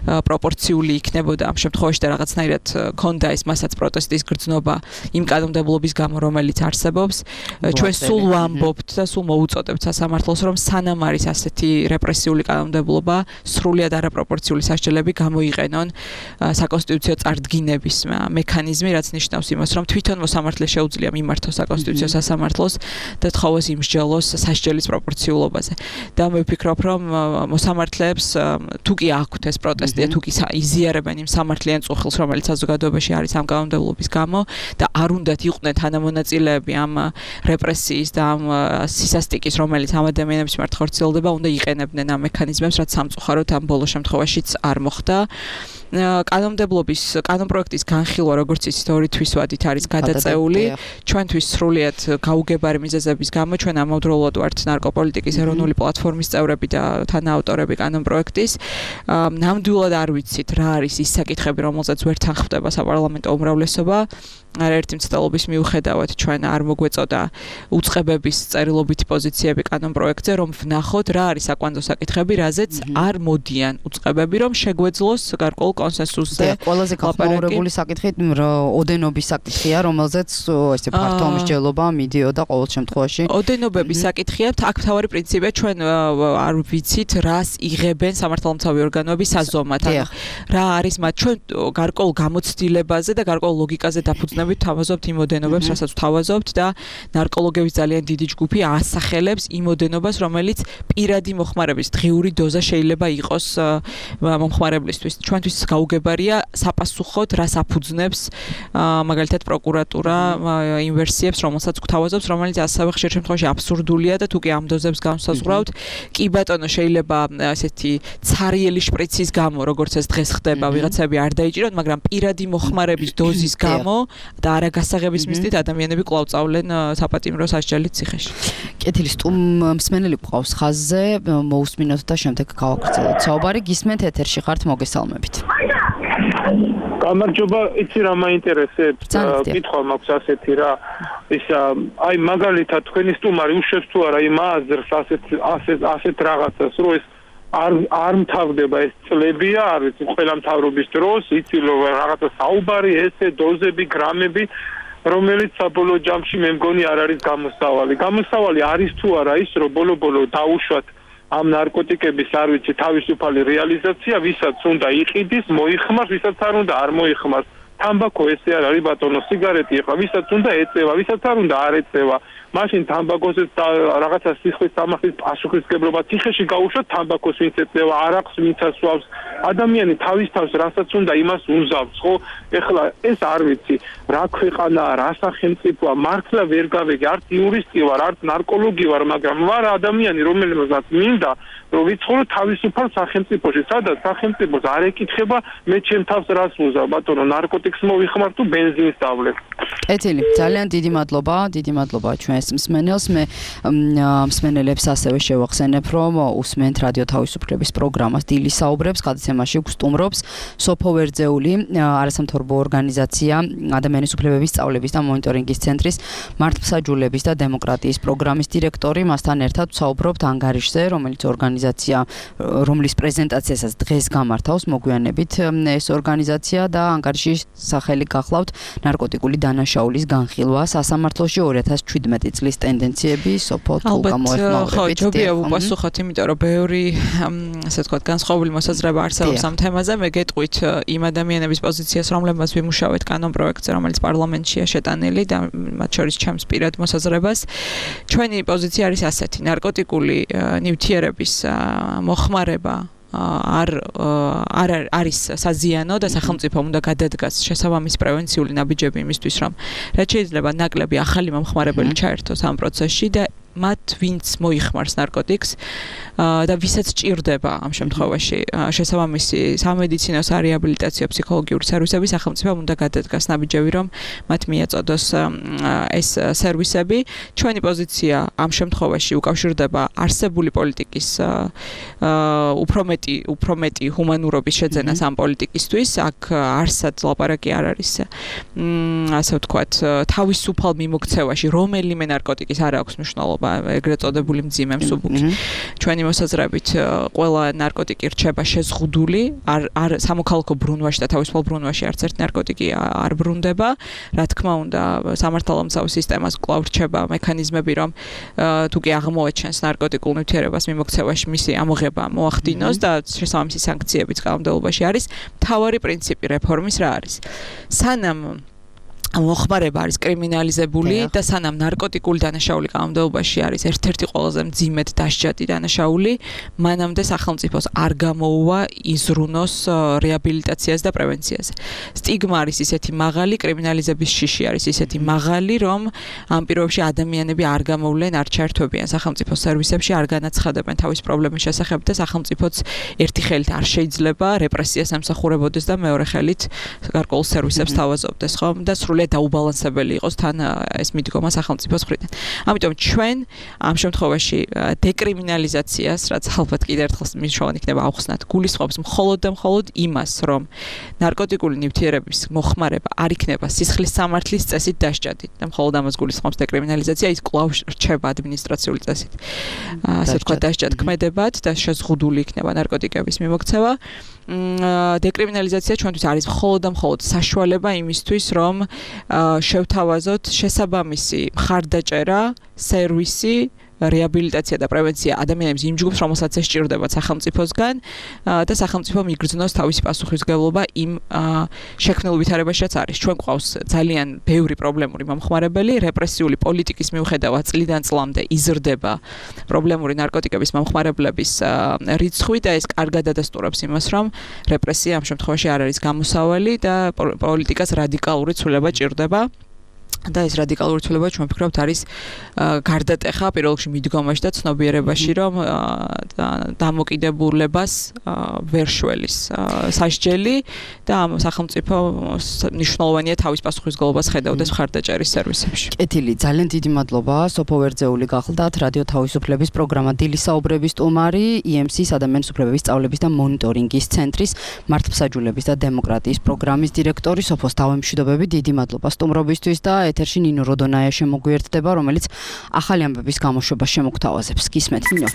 პროპორციული იქნებოდა ამ შემთხვევაში და რაღაცნაირად ქონდა ეს მასაც პროტესტის გრძნობა იმ კანონმდებლობის გამო, რომელიც არსებობს. ჩვენ სულ ვამბობთ და სულ მოუწოდებთ სასამართლოს, რომ სანამ არის ასეთი რეპრესიული კანონმდებლობა, სრულიად არაპროპორციული სასჯელები გამოიყენონ საკონსტიტუციო წარდგინების მექანიზმი, რაც ნიშნავს იმას, რომ თვითონ მოსამართლეს შეუძლია მიმართოს საკონსტიტუციო სასამართლოს და თხოვოს იმსჯელოს სასჯელის პროპორციულობაზე. და მე ვფიქრობ, რომ მოსამართლეებს თუ კი აქვთ ეს პროტესტი, თუ კი იზიარებენ იმ სამართლიან წუხილს, რომელიც საზოგადოებაში არის ამ კანონმდებლობის გამო და არ უნდათ იყვნენ თანამონაწილეები ამ რეპრესიის და ამ სისასტიკის, რომელიც ამ ადამიანების მიმართ ხორციელდება, უნდა იყენებდნენ ამ მექანიზმებს, რაც სამწუხაროდ ამ ბოლო შემთხვევაშიც არ მოხდა. კანონმდებლობის კანონპროექტის განხილვა, როგორც იცით, ორი თვისვადით არის გადაწეული. ჩვენთვის სრულიად გაუგებარი მიზეზების გამო ჩვენ ამავდროულად ვართ ნარკოპოლიტიკის ეროვნული პლატფორმის წევრები და თანაავტორები კანონპროექტის. ნამდვილად არ ვიცით რა არის ის საკითხები, რომელზეც ვერ თანხმდება საპარლამენტო უმრავლესობა. არაერთი მცდელობის მიუხედავად ჩვენ არ მოგვეწოდა უწყებების წერილობითი პოზიციები კანონპროექტზე, რომ ვნახოთ რა არის საკვანძო sakითხები, რაზეც არ მოდიან უწყებები, რომ შეგვეძლოს გარკვეულ კონსენსუსზე.
ყველაზე გახმაურებული საკითხი ოდენობის საკითხია, რომელზეც ესე ფართო მსჯელობა მიდიოდა ყოველ შემთხვევაში.
ოდენობების საკითხია, აქ მთავარი პრინციპია, ჩვენ არ ვიცით რას იღებენ სამართალდამცავი ორგანოები საზომად. რა არის მათ ჩვენ გარკვეულ გამოცდილებაზე და გარკვეულ ლოგიკაზე დაფუძნებით თავაზობთ იმ ოდენობებს, რასაც თავაზობთ და ნარკოლოგების ძალიან დიდი ჯგუფი ასახელებს იმ ოდენობას, რომელიც პირადი მოხმარების დღიური დოზა შეიძლება იყოს მომხმარებლისთვის. ჩვენთვის გაუგებარია საპასუხოდ რას აფუძნებს მაგალითად პროკურატურა იმ ვერსიებს, რომელსაც გვთავაზობს, რომელიც ასევე ხშირ შემთხვევაში აბსურდულია და თუ კი ამ დოზებს განსაზღვრავთ, კი ბატონო შეიძლება ესეთი ცარიელი შპრიცის გამო, როგორც ეს დღეს ხდება, ვიღაცები არ დაიჭიროთ, მაგრამ პირადი მოხმარების დოზის გამო და არაგასაღების მიზნით ადამიანები კვლავ წავლენ საპატიმრო სასჯელით ციხეში.
კეთილი სტუმ მსმენელი გვყავს ხაზზე, მოусმინოთ და შემდეგ გავაგრძელოთ საუბარი. გისმენთ ეთერში ხართ, მოგესალმებით.
გამარჯობა, იცი რა მაინტერესებს, კითხვა მაქვს ასეთი რა, ის აი მაგალითად თქვენი სტუმარი უშვებს თუ არა იმ აზრს ასეთ ასეთ ასეთ რაღაცას, რომ ეს არ არ მთავრდება ეს წლებია, არ ვიცი, ყველა მთავრობის დროს, იცი რომ რაღაცა საუბარი, ესე დოზები, გრამები, რომელიც საბოლოო ჯამში მე მგონი არ არის გამოსავალი. გამოსავალი არის თუ არა ის, რომ ბოლო-ბოლო დაუშვათ ამ ნარკოტიკების არ ვიცი თავისუფალი რეალიზაცია, ვისაც უნდა იყიდის, მოიხმარს, ვისაც არ უნდა არ მოიხმარს. თამბაქო ესე არ არის ბატონო, სიგარეტი ხა, ვისაც უნდა ეწევა, ვისაც არ უნდა არ ეწევა. მაშინ თამბაქოსაც რაღაცა სიხვის სამახის პასუხისმგებლობა ციხეში გაუშვათ თამბაქოს ვინც ეწევა, არაყს ვინც ასვავს. ადამიანი თავის თავს რასაც უნდა იმას უზავს, ხო? ეხლა ეს არ ვიცი, რა ქვეყანაა, რა სახელმწიფოა, მართლა ვერ გავიგე, არც იურისტი ვარ, არც ნარკოლოგი ვარ, მაგრამ ვარ ადამიანი, რომელსაც მინდა რომ ვიცხოვრო თავისუფალ სახელმწიფოში, სადაც სახელმწიფოს არ ეკითხება მე ჩემ თავს რას უზავ, ბატონო, ნარკოტიკს მოვიხმარ თუ ბენზინს დავლებ.
კეთილი, ძალიან დიდი მადლობა, დიდი მადლობა ჩვენს მსმენელს. მე მსმენელებს ასევე შევახსენებ, რომ უსმენთ რადიო თავისუფლების პროგრამას დილის საუბრებს, გადაცემაში გვსტუმრობს სოფო ვერძეული, არასამთავრობო ორგანიზაცია ადამიანის უფლებების სწავლების და მონიტორინგის ცენტრის მართლმსაჯულების და დემოკრატიის პროგრამის დირექტორი. მასთან ერთად ვსაუბრობთ ანგარიშზე, რომელიც ორგანიზაცია, რომლის პრეზენტაციასაც დღეს გამართავს მოგვიანებით ეს ორგანიზაცია და ანგარიშის სახელი გახლავთ ნარკოტიკული დანაშაულის განხილვა სასამართლოში ორი ათას შვიდმეტი წლის ტენდენციები სოფო თუ გამოეხმაურებით.
ხო, ჯობია უპასუხოთ, იმიტომ რომ ბევრი ასე ვთქვათ განსხვავებული მოსაზრება არსებობს ამ თემაზე. მე გეტყვით იმ ადამიანების პოზიციას, რომლებმაც ვიმუშავეთ კანონ პროექტზე, რომელიც პარლამენტშია შეტანილი და მათ შორის ჩემს პირად მოსაზრებას. ჩვენი პოზიცია არის ასეთი: ნარკოტიკული ნივთიერების მოხმარება არ არ არის საზიანო და სახელმწიფო უნდა გადადგას შესაბამისი პრევენციული ნაბიჯები იმისთვის, რომ რაც შეიძლება ნაკლები ახალი მომხმარებელი ჩაერთოს ამ პროცესში და მათ ვინც მოიხმარს ნარკოტიკს და ვისაც ჭირდება ამ შემთხვევაში შესაბამისი სამედიცინო სარეაბილიტაციო ფსიქოლოგიური სერვისები, სახელმწიფო უნდა გადადგას ნაბიჯები, რომ მათ მიაწოდოს ეს სერვისები. ჩვენი პოზიცია ამ შემთხვევაში უკავშირდება არსებული პოლიტიკის უფრო მეტი უფრო მეტი ჰუმანურობის შეძენას ამ პოლიტიკისთვის. აქ არსად ლაპარაკი არ არის ასე ვთქვათ თავისუფალ მიმოქცევაში რომელიმე ნარკოტიკის არ აქვს მნიშვნელობა, ეგრეთ წოდებული მძიმე მსუბუქი. ჩვენი მოსაზრებით ყველა ნარკოტიკი რჩება შეზღუდული, არ არ სამოქალაქო ბრუნვაში და თავისუფალ ბრუნვაში არც ერთი ნარკოტიკი არ ბრუნდება. რა თქმა უნდა, სამართალდამცავ სისტემას კვლავ რჩება მექანიზმები, რომ თუ კი აღმოაჩენს ნარკოტიკულ ნივთიერებას მიმოქცევაში მისი ამოღება მოახდინოს და შესაბამისი სანქციებიც კანონმდებლობაში არის. მთავარი პრინციპი რეფორმის რა არის? სანამ მოხმარება არის კრიმინალიზებული და სანამ ნარკოტიკული დანაშაული კანონმდებლობაში არის ერთ-ერთი ყველაზე მძიმედ დასჯადი დანაშაული, მანამდე სახელმწიფოს არ გამოუვა იზრუნოს რეაბილიტაციას და პრევენციაზე. სტიგმა არის ისეთი მაღალი, კრიმინალიზების შიში არის ისეთი მაღალი, რომ ამ პირობებში ადამიანები არ გამოვლენ, არ ჩაერთვებიან სახელმწიფო სერვისებში, არ განაცხადებენ თავის პრობლემის შესახებ და სახელმწიფოც ერთი ხელით არ შეიძლება რეპრესიას ემსახურებოდეს და მეორე ხელით გარკვეულ სერვისებს თავაზობდეს, ხომ? და სრულად დაუბალანსებელი იყოს თან ეს მიდგომა სახელმწიფოს მხრიდან. ამიტომ ჩვენ ამ შემთხვევაში დეკრიმინალიზაციას, რაც ალბათ კიდევ ერთხელ მნიშვნელოვანი იქნება ავხსნათ, გულისხმობს მხოლოდ და მხოლოდ იმას, რომ ნარკოტიკული ნივთიერების მოხმარება არ იქნება სისხლის სამართლის წესით დასჯადით და მხოლოდ ამას გულისხმობს დეკრიმინალიზაცია, ის კვლავ რჩება ადმინისტრაციული წესით. ასე ვთქვათ, დასჯადქმედებად და შეზღუდული იქნება ნარკოტიკების მიმოქცევა. დეკრიმინალიზაცია ჩვენთვის არის მხოლოდ და მხოლოდ საშუალება იმისთვის, რომ შევთავაზოთ შესაბამისი მხარდაჭერა, სერვისი რეაბილიტაცია და პრევენცია ადამიანებს იმ ჯგუფს, რომელსაც ეს სჭირდება სახელმწიფოსგან და სახელმწიფო მიგრძნოს თავისი პასუხისმგებლობა იმ შექმნილ ვითარებაშიც არის. ჩვენ გვყავს ძალიან ბევრი პრობლემური მომხმარებელი, რეპრესიული პოლიტიკის მიუხედავად წლიდან წლამდე იზრდება პრობლემური ნარკოტიკების მომხმარებლების რიცხვი და ეს კარგად ადასტურებს იმას, რომ რეპრესია ამ შემთხვევაში არ არის გამოსავალი და პოლიტიკას რადიკალური ცვლილება ჭირდება. და ეს რადიკალური ცვლილება ჩვენ ვფიქრობთ არის გარდატეხა პირველ რიგში მიდგომაში და ცნობიერებაში, რომ დამოკიდებულებას ვერ შველის სასჯელი და ამ სახელმწიფო მნიშვნელოვანია თავის პასუხისმგებლობას ხედავდეს მხარდაჭერის სერვისებში.
კეთილი, ძალიან დიდი მადლობა. სოფო ვერძეული გახლდათ რადიო თავისუფლების პროგრამა დილის საუბრების სტუმარი, ი ემ სი-ის ადამიანის უფლებების სწავლების და მონიტორინგის ცენტრის მართლმსაჯულების და დემოკრატიის პროგრამის დირექტორი. სოფოს თავმშვიდობები, დიდი მადლობა სტუმრობისთვის და ეთერში ნინო როდონაია შემოგვიერთდება, რომელიც ახალი ამბების გამოშვებას შემოგთავაზებს. გისმენთ, ნინო.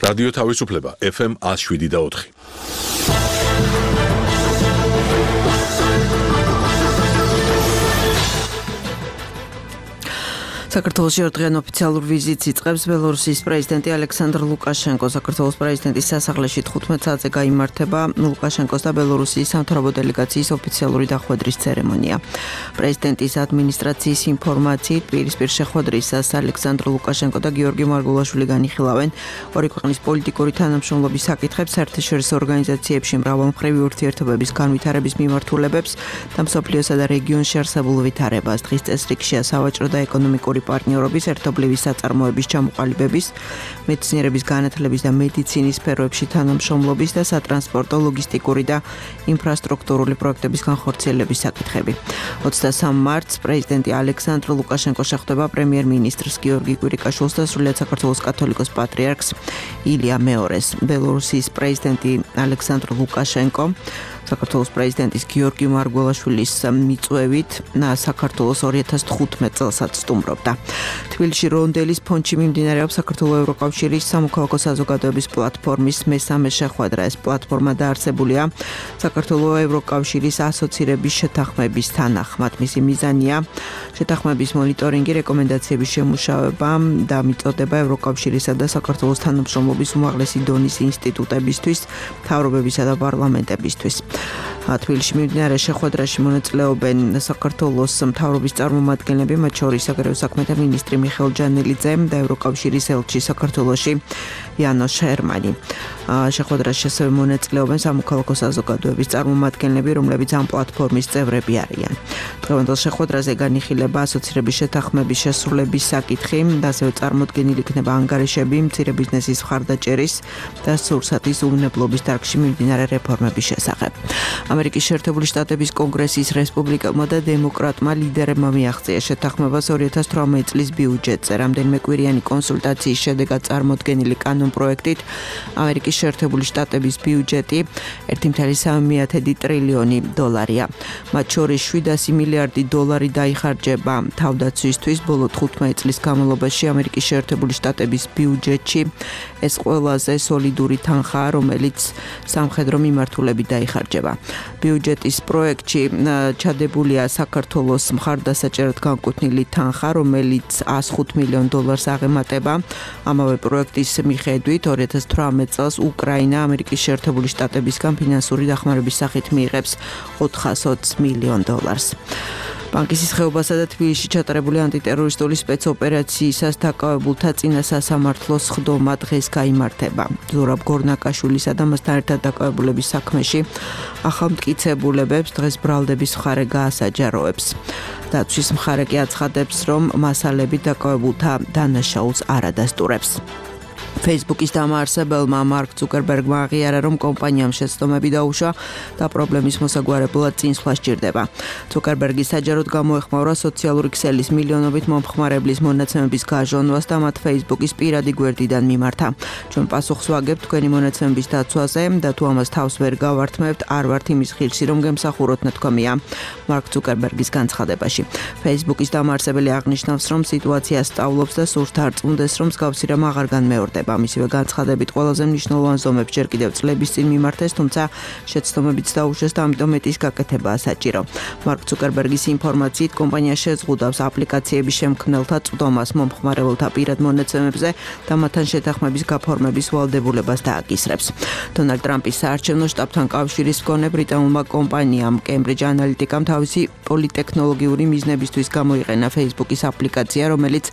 რადიო თავისუფლება ეფ ემ one oh seven და four.
საქართველოში ორდღიან ოფიციალურ ვიზიტს იწყებს ბელორუსიის პრეზიდენტი ალექსანდრ ლუკაშენკო. საქართველოს პრეზიდენტის სასახლეში თხუთმეტ საათზე გაიმართება ლუკაშენკოს და ბელორუსიის სამთავრობო დელეგაციის ოფიციალური დახვედრის ცერემონია. პრეზიდენტის ადმინისტრაციის ინფორმაციით პირისპირ შეხვედრისას ალექსანდრ ლუკაშენკო და გიორგი მარგულაშვილი განიხილავენ ორი ქვეყნის პოლიტიკური თანამშრომლობის საკითხებს, საერთაშორისო ორგანიზაციებში მრავალმხრივი ურთიერთობების განვითარების მიმართულებებს და მსოფლიოსა და რეგიონში არსებულ ვითარებას. დღის წესრიგშია სავაჭრო და ეკონომიკური პარტნიორობის, ერთობლივი საწარმოების ჩამოყალიბების, მეცნიერების განათლების და მედიცინის სფეროებში თანამშრომლობის და სატრანსპორტო, ლოგისტიკური და ინფრასტრუქტურული პროექტების განხორციელების საკითხები. ოცდასამ მარტს პრეზიდენტი ალექსანდრ ლუკაშენკო შეხვდება პრემიერ-მინისტრს გიორგი კვირიკაშვილს და სრულიად საქართველოს კათოლიკოს პატრიარქს ილია მეორეს. ბელორუსიის პრეზიდენტი ალექსანდრ ლუკაშენკო საქართველოს პრეზიდენტის გიორგი მარგველაშვილის მიწვევით საქართველოს ორი ათას თხუთმეტ წელსაც სტუმრობდა. თბილისში რონდელის ფონდში მიმდინარეობს საქართველოს ევროკავშირის სამოქალაქო საზოგადოების პლატფორმის მესამე შეხვედრა. ეს პლატფორმა დაარსებულია საქართველოს ევროკავშირის ასოცირების შეთანხმების თანახმად. მისი მიზანია შეთანხმების მონიტორინგი, რეკომენდაციების შემუშავება და მიწოდება ევროკავშირისა და საქართველოს თანამშრომლობის უმაღლესი დონის ინსტიტუტებისთვის, მთავრობებისა და პარლამენტებისთვის. თბილისში მიმდინარე შეხვედრაში მონაწილეობენ საქართველოს მთავრობის წარმომადგენლები, მათ შორის საგარეო საქმეთა მინისტრი მიხეილ ჯანელიძე და ევროკავშირის ელჩი საქართველოში იანოშ ჰერმანი. შეხვედრაში ასევე მონაწილეობენ სამოქალაქო საზოგადოების წარმომადგენლები, რომლებიც ამ პლატფორმის წევრები არიან. დღევანდელ შეხვედრაზე განიხილება ასოცირების შეთანხმების შესრულების საკითხი და ასევე წარმოდგენილი იქნება ანგარიშები მცირე ბიზნესის მხარდაჭერის და სურსათის უვნებლობის დარგში მიმდინარე რეფორმების შესახებ. ამერიკის შეერთებული შტატების კონგრესის რესპუბლიკელმა და დემოკრატმა ლიდერებმა მიაღწია შეთანხმებას ორი ათას თვრამეტ წლის ბიუჯეტზე. რამდენიმე კვირიანი კონსულტაციის შედეგად წარმოდგენილი კანონპროექტით ამერიკის შეერთებული შტატების ბიუჯეტი ერთი კoma სამი ტრილიონი დოლარია. მათ შორის შვიდასი მილიარდი დოლარი დაიხარჯება თავდაცვისთვის. ბოლო თხუთმეტ წლის განმავლობაში ამერიკის შეერთებული შტატების ბიუჯეტში ეს ყველაზე სოლიდური თანხაა, რომელიც სამხედრო მიმართულებით დაიხარჯება. ბიუჯეტის პროექტში ჩადებულია საქართველოს მხარდასაჭერად განკუთვნილი თანხა, რომელიც one hundred five მილიონ დოლარს აღემატება. ამავე პროექტის მიხედვით ორი ათას თვრამეტ წელს უკრაინა ამერიკის შეერთებული შტატებისგან ფინანსური დახმარების სახით მიიღებს ოთხასოც მილიონ დოლარს. ბანკის ხეობასა და თბილისში ჩატარებული ანტიტერორისტული სპეცოპერაციისას დაკავებულთა წინა სასამართლოს ხდომა დღეს გაიმართება. ზურაბ გორნაკაშვილისა და მასთან ერთად დაკავებულების საქმეში ახალმტკიცებულებებს დღეს ბრალდების მხარე გაასაჯაროებს. დაცვის მხარე კი აცხადებს, რომ მასალები დაკავებულთა დანაშაულს არ ადასტურებს. Facebook-ის დამაარსებელმა მარკ ცუკერბერგმა აღიარა, რომ კომპანიამ შეცდომები დაუშვა და პრობლემის მოსაგვარებლად წინსვლა სჭირდება. ცუკერბერგი საჯაროდ გამოეხმაურა სოციალური ქსელის მილიონობით მომხმარებლის მონაცემების გაჟონვას და მათ Facebook-ის პირადი გვერდიდან მიმართა. ჩვენ პასუხს ვაგებთ თქვენი მონაცემების დაცვაზე და თუ ამას თავს ვერ გავართმევთ, არ ვართ იმის ღირსი, რომ გემსახუროთ ნათქვამია მარკ ცუკერბერგის განცხადებაში. Facebook-ის დამაარსებელი აღნიშნავს, რომ სიტუაცია სწავლობს და სურთ არ წუნდეს, რომ მსგავსი რამ აღარ განმეორდება. გაზრდება. მისივე განცხადებით ყველაზე მნიშვნელოვან ზომებს ჯერ კიდევ წლების წინ მიმართეს, თუმცა შეცდომებიც დაუშვეს და ამიტომ მეტის გაკეთებაა საჭირო. მარკ ცუკერბერგის ინფორმაციით კომპანია შეზღუდავს აპლიკაციების შემქმნელთა წვდომას მომხმარებელთა პირად მონაცემებზე და მათთან შეთანხმების გაფორმების ვალდებულებას დააკისრებს. დონალდ ტრამპის საარჩევნო შტაბთან კავშირის მქონე ბრიტანულმა კომპანიამ Cambridge Analytica-მ თავისი პოლიტექნოლოგიური მიზნებისთვის გამოიყენა Facebook-ის აპლიკაცია, რომელიც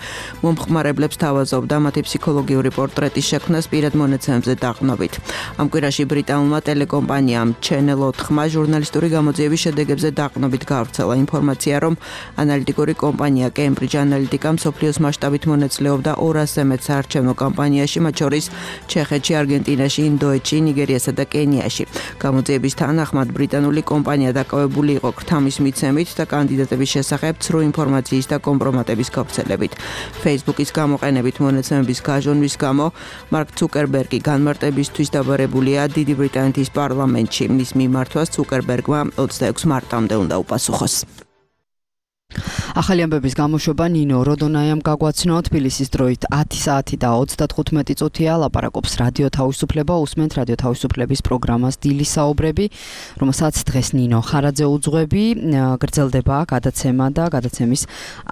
მომხმარებლებს თავაზობდა მათი ფსიქოლოგიური პორტრეტის შექმნას პირად მონაცემებზე დაყრდნობით. ამ კვირაში ბრიტანულმა ტელეკომპანიამ Channel ოთხმა ჟურნალისტური გამოძიების შედეგებზე დაყრდნობით გავრცელა ინფორმაცია, რომ ანალიტიკური კომპანია Cambridge Analytica მსოფლიოს მასშტაბით მონაწილეობდა ორასზე მეტ საარჩევნო კამპანიაში, მათ შორის ჩეხეთში, არგენტინაში, ინდოეთში, ნიგერიასა და კენიაში. გამოძიების თანახმად ბრიტანული კომპანია დაკავებული იყო ქრთამის მიცემით და კანდიდატების შესახებ ცრუ ინფორმაციის და კომპრომატების გავრცელებით. Facebook-ის გამოყენებით მონაცემების გაჟონვის გამო მარკ ცუკერბერგი განმარტებისთვის დაბარებულია დიდი ბრიტანეთის პარლამენტში. მის მიმართვას ცუკერბერგმა ოცდაექვსი მარტამდე უნდა უპასუხოს.
ახალი ამბების გამოშვება ნინო როდონაიამ გაგვაცნო თბილისის დროით ათი საათი და ოცდათხუთმეტი წუთია ლაპარაკობს რადიო თავისუფლება უსმენთ რადიო თავისუფლების პროგრამას დილის საუბრები, რომელსაც დღეს ნინო ხარაძე უძღვები, გრძელდება გადაცემა და გადაცემის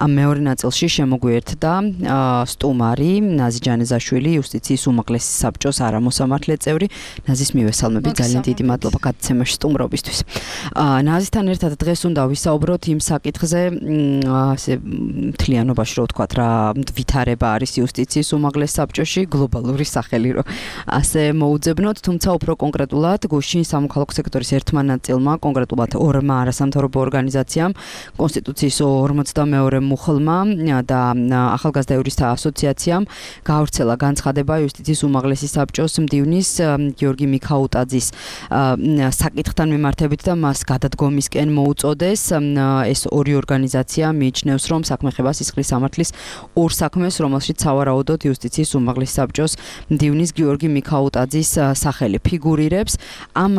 მეორე ნაწილში შემოგვიერთდა სტუმარი ნაზი ჯანეზაშვილი, იუსტიციის უმაღლესი საბჭოს არამოსამართლე წევრი. ნაზის მივესალმებით, ძალიან დიდი მადლობა გადაცემაში სტუმრობისთვის. ნაზისთან ერთად დღეს უნდა ვისაუბროთ იმ საკითხზე, ასე მთლიანობაში რო ვთქვათ რა ვითარება არის იუსტიციის უმაღლეს საბჭოში, გლობალური სახელი რო ასე მოუძებნოთ, თუმცა უფრო კონკრეტულად გუშინ სამოქალაქო სექტორის ერთმა ნაწილმა, კონკრეტულად ორმა არასამთავრობო ორგანიზაციამ, კონსტიტუციის ორმოცდამეორე მუხლმა და ახალგაზრდა იურისტთა ასოციაციამ გაავრცელა განცხადება იუსტიციის უმაღლესი საბჭოს მდივნის გიორგი მიქაუტაძის საკითხთან მიმართებით და მას გადადგომისკენ მოუწოდეს. ეს ორი ორგანიზაცია მიიჩნევს, რომ საქმე ხება სისხლის სამართლის ორ საქმეს, რომელშიც სავარაუდოდ იუსტიციის უმაღლესი საბჭოს მდივნის გიორგი მიქაუტაძის სახელი ფიგურირებს. ამ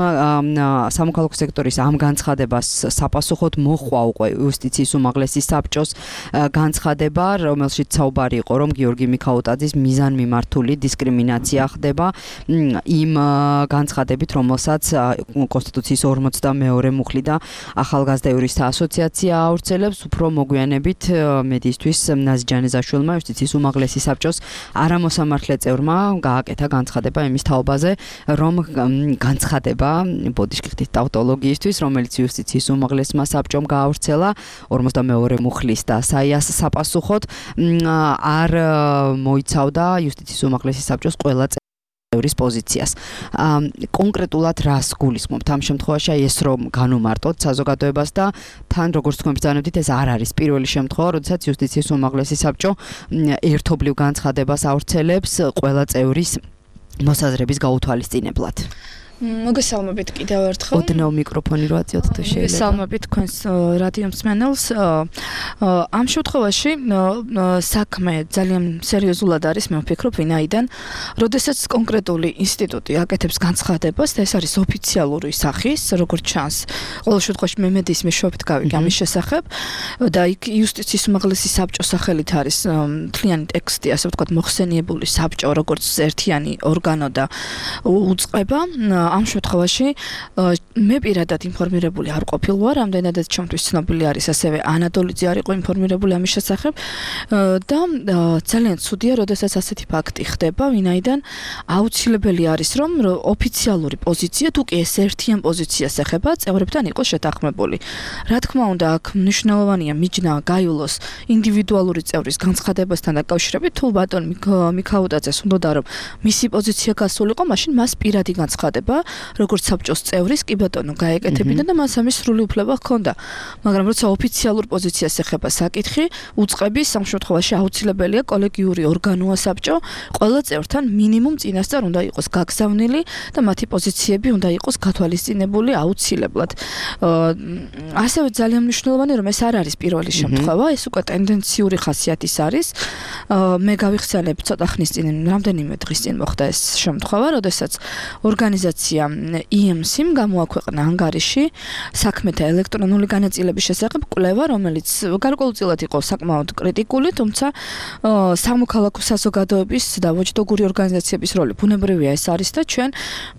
სამოქალაქო სექტორის ამ განცხადებას საპასუხოდ მოჰყვა უკვე იუსტიციის უმაღლესი საბჭოს განცხადება, რომელშიც საუბარი იყო, რომ გიორგი მიქაუტაძის მიზანმიმართული დისკრიმინაცია ხდება იმ განცხადებით, რომელსაც კონსტიტუციის ორმოცდამეორე მუხლი და ახალგაზრდა იურისტთა ასოციაცია ავრცელებს. უფრო მოგვიანებით მედიისთვის ნაზი ჯანეზაშვილმა იუსტიციის უმაღლესი საბჭოს არამოსამართლე წევრმა გააკეთა განცხადება იმის თაობაზე, რომ განცხადება ბოდიშკრიტის ტავტოლოგიისთვის, რომელიც იუსტიციის უმაღლესმა საბჭომ გაავრცელა ორმოცდამეორე მუხლის და საიას საპასუხოდ, არ მოიცავდა იუსტიციის უმაღლესი საბჭოს ყველა წევრის პოზიციას. კონკრეტულად რას გულისხმობთ ამ შემთხვევაში, ეს რომ განუმარტოთ საზოგადოებას და თან როგორც თქვენ ბრძანებდით, ეს არ არის პირველი შემთხვევა, როდესაც იუსტიციის უმაღლესი საბჭო ერთობლივ განცხადებას ავრცელებს ყველა წევრის მოსაზრების გაუთვალისწინებლად.
მოგესალმებით კიდევ ერთხელ.
ოდნავ მიკროფონი რო აწიოთ თუ შეიძლება.
მოგესალმებით თქვენს რადიო მსმენელს. ამ შემთხვევაში საქმე ძალიან სერიოზულად არის, მე ვფიქრობ, ვინაიდან, როდესაც კონკრეტული ინსტიტუტი აკეთებს განცხადებას და ეს არის ოფიციალური სახის, როგორც ჩანს, ყოველ შემთხვევაში მე მედიის მეშვეობით გავიგე ამის შესახებ და იქ იუსტიციის უმაღლესი საბჭოს სახელით არის მთლიანი ტექსტი, ასე ვთქვათ, მოხსენიებული საბჭო, როგორც ერთიანი ორგანო და უწყება. ამ შემთხვევაში მე პირადად ინფორმირებული არ ყოფილ ვარ, ამდენადაც ჩემთვის ცნობილი არის, ასევე ანადოლიძე არ იყო ინფორმირებული ამის შესახებ და ძალიან ცუდია, როდესაც ასეთი ფაქტი ხდება, ვინაიდან აუცილებელი არის, რომ ოფიციალური პოზიცია, თუ კი ეს ერთიან პოზიციას ეხება, წევრებთან იყოს შეთანხმებული. რა თქმა უნდა, აქ მნიშვნელოვანია მიჯნა გაივლოს ინდივიდუალური წევრის განცხადებასთან დაკავშირებით, თუ ბატონ მიქაუტაძეს უნდა რომ მისი პოზიცია გასულიყო, მაშინ მას პირადი განცხადება როგორც საბჭოს წევრის, კი ბატონო, გაეკეთებინა და მას ამის სრული უფლება ჰქონდა. მაგრამ როცა ოფიციალურ პოზიციას ეხება საკითხი, უწყების ამ შემთხვევაში აუცილებელია კოლეგიური ორგანოა საბჭო, ყველა წევრთან მინიმუმ წინასწარ უნდა იყოს გაგზავნილი და მათი პოზიციები უნდა იყოს გათვალისწინებული აუცილებლად. ასევე ძალიან მნიშვნელოვანია, რომ ეს არ არის პირველი შემთხვევა, ეს უკვე ტენდენციური ხასიათის არის. მე გავიხსენებ ცოტა ხნის წინ, რამდენიმე დღის წინ მოხდა ეს შემთხვევა, როდესაც ორგანიზაცია ორგანიზაცია ი ემ სი-მ გამოაქვეყნა ანგარიში საქმეთა ელექტრონული განაწილების შესახებ კვლევა, რომელიც გარკვეულწილად იყო საკმაოდ კრიტიკული, თუმცა სამოქალაქო საზოგადოების და ვაჭდოგური ორგანიზაციების როლი ბუნებრივია ეს არის და ჩვენ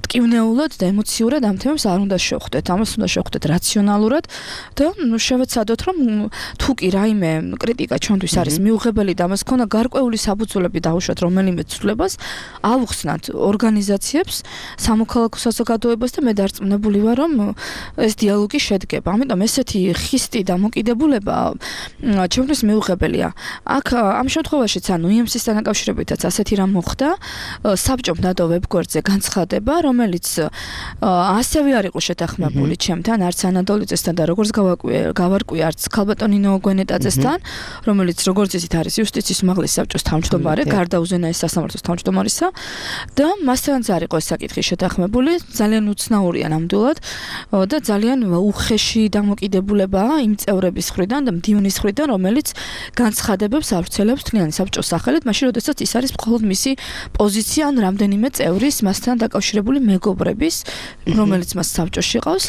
მტკივნეულად და ემოციურად ამ თემებს არ უნდა შევხვდეთ, ამას უნდა შევხვდეთ რაციონალურად და შევეცადოთ, რომ თუ კი რაიმე კრიტიკა ჩვენთვის არის მიუღებელი და ამას ქონა გარკვეული საფუძვლები დაუშვათ რომელიმე ცვლილებას, ავუხსნათ ორგანიზაციებს, სამოქალაქო საზოგადოებას და მე დარწმუნებული ვარ, რომ ეს დიალოგი შედგება. ამიტომ ესეთი ხისტი დამოკიდებულება ჩვენთვის მიუღებელია. აქ ამ შემთხვევაშიც ანუ ი ემ სი-სთან დაკავშირებითაც ასეთი რამ მოხდა, საბჭომ დადო ვებგვერდზე განცხადება, რომელიც ასევე არ იყო შეთანხმებული ჩემთან, არც ანატოლიძესთან და როგორც გავარკვი, არც ქალბატონინო გვენეტაძესთან, რომელიც როგორც იცით არის იუსტიციის უმაღლესი საბჭოს თავმჯდომარე, გარდა უზენაეს სასამართლოს თავმჯდომარისა და მასთანაც არ იყო ეს საკითხი შეთანხმებული, ძალიან უცნაურია ნამდვილად და ძალიან უხეში დამოკიდებულებაა იმ წევრების მხრიდან და მდივნის მხრიდან, რომელიც განცხადებებს ავრცელებს თლიანი საბჭოს სახელით, მაშინ როდესაც ის არის მხოლოდ მისი პოზიცია ან რამდენიმე წევრის მასთან დაკავშირებული მეგობრების, რომელიც მას საბჭოში ყავს.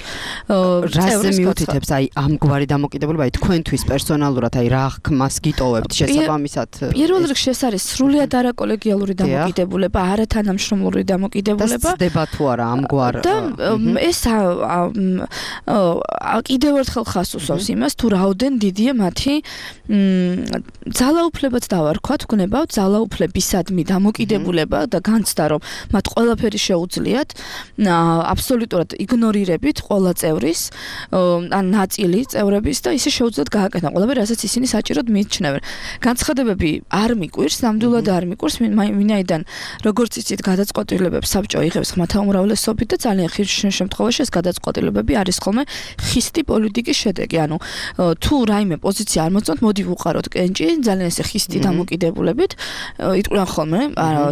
რაზე მიუთითებს აი ამგვარი დამოკიდებულება, აი თქვენთვის პერსონალურად აი რა ხმას გიტოვებთ შესაბამისად?
პირველ რიგში ეს არის სრულიად არაკოლეგიალური დამოკიდებულება, არათანამშრომლური დამოკიდებულება.
და ცდება თუ არა ამგვარ
და ეს კიდევ ერთხელ ხას უსვავს იმას, თუ რაოდენ დიდია მათი ძალაუფლებაც დავარქვათ, გნებავთ ძალაუფლებისადმი დამოკიდებულება და განცდა, რომ მათ ყველაფერი შეუძლიათ, აბსოლუტურად იგნორირებით ყველა წევრის, ან ნაწილი წევრების და ისე შეუძლიათ გააკეთონ ყველაფერი, რასაც ისინი საჭიროდ მიიჩნევენ. განცხადებები არ მიკვირს, ნამდვილად არ მიკვირს, ვინაიდან როგორც იცით, გადაწყვეტილებებს საბჭო იღებს ხმათა უმრავლესობით და ძალიან ხშირ შემთხვევაში ეს გადაწყვეტილებები არის ხოლმე ხისტი პოლიტიკის შედეგი. ანუ თუ რაიმე პოზიცია არ მოწონთ, მოდი ვუყაროთ კენჭი, ძალიან ესე ხისტი დამოკიდებულებით, იტყვიან ხოლმე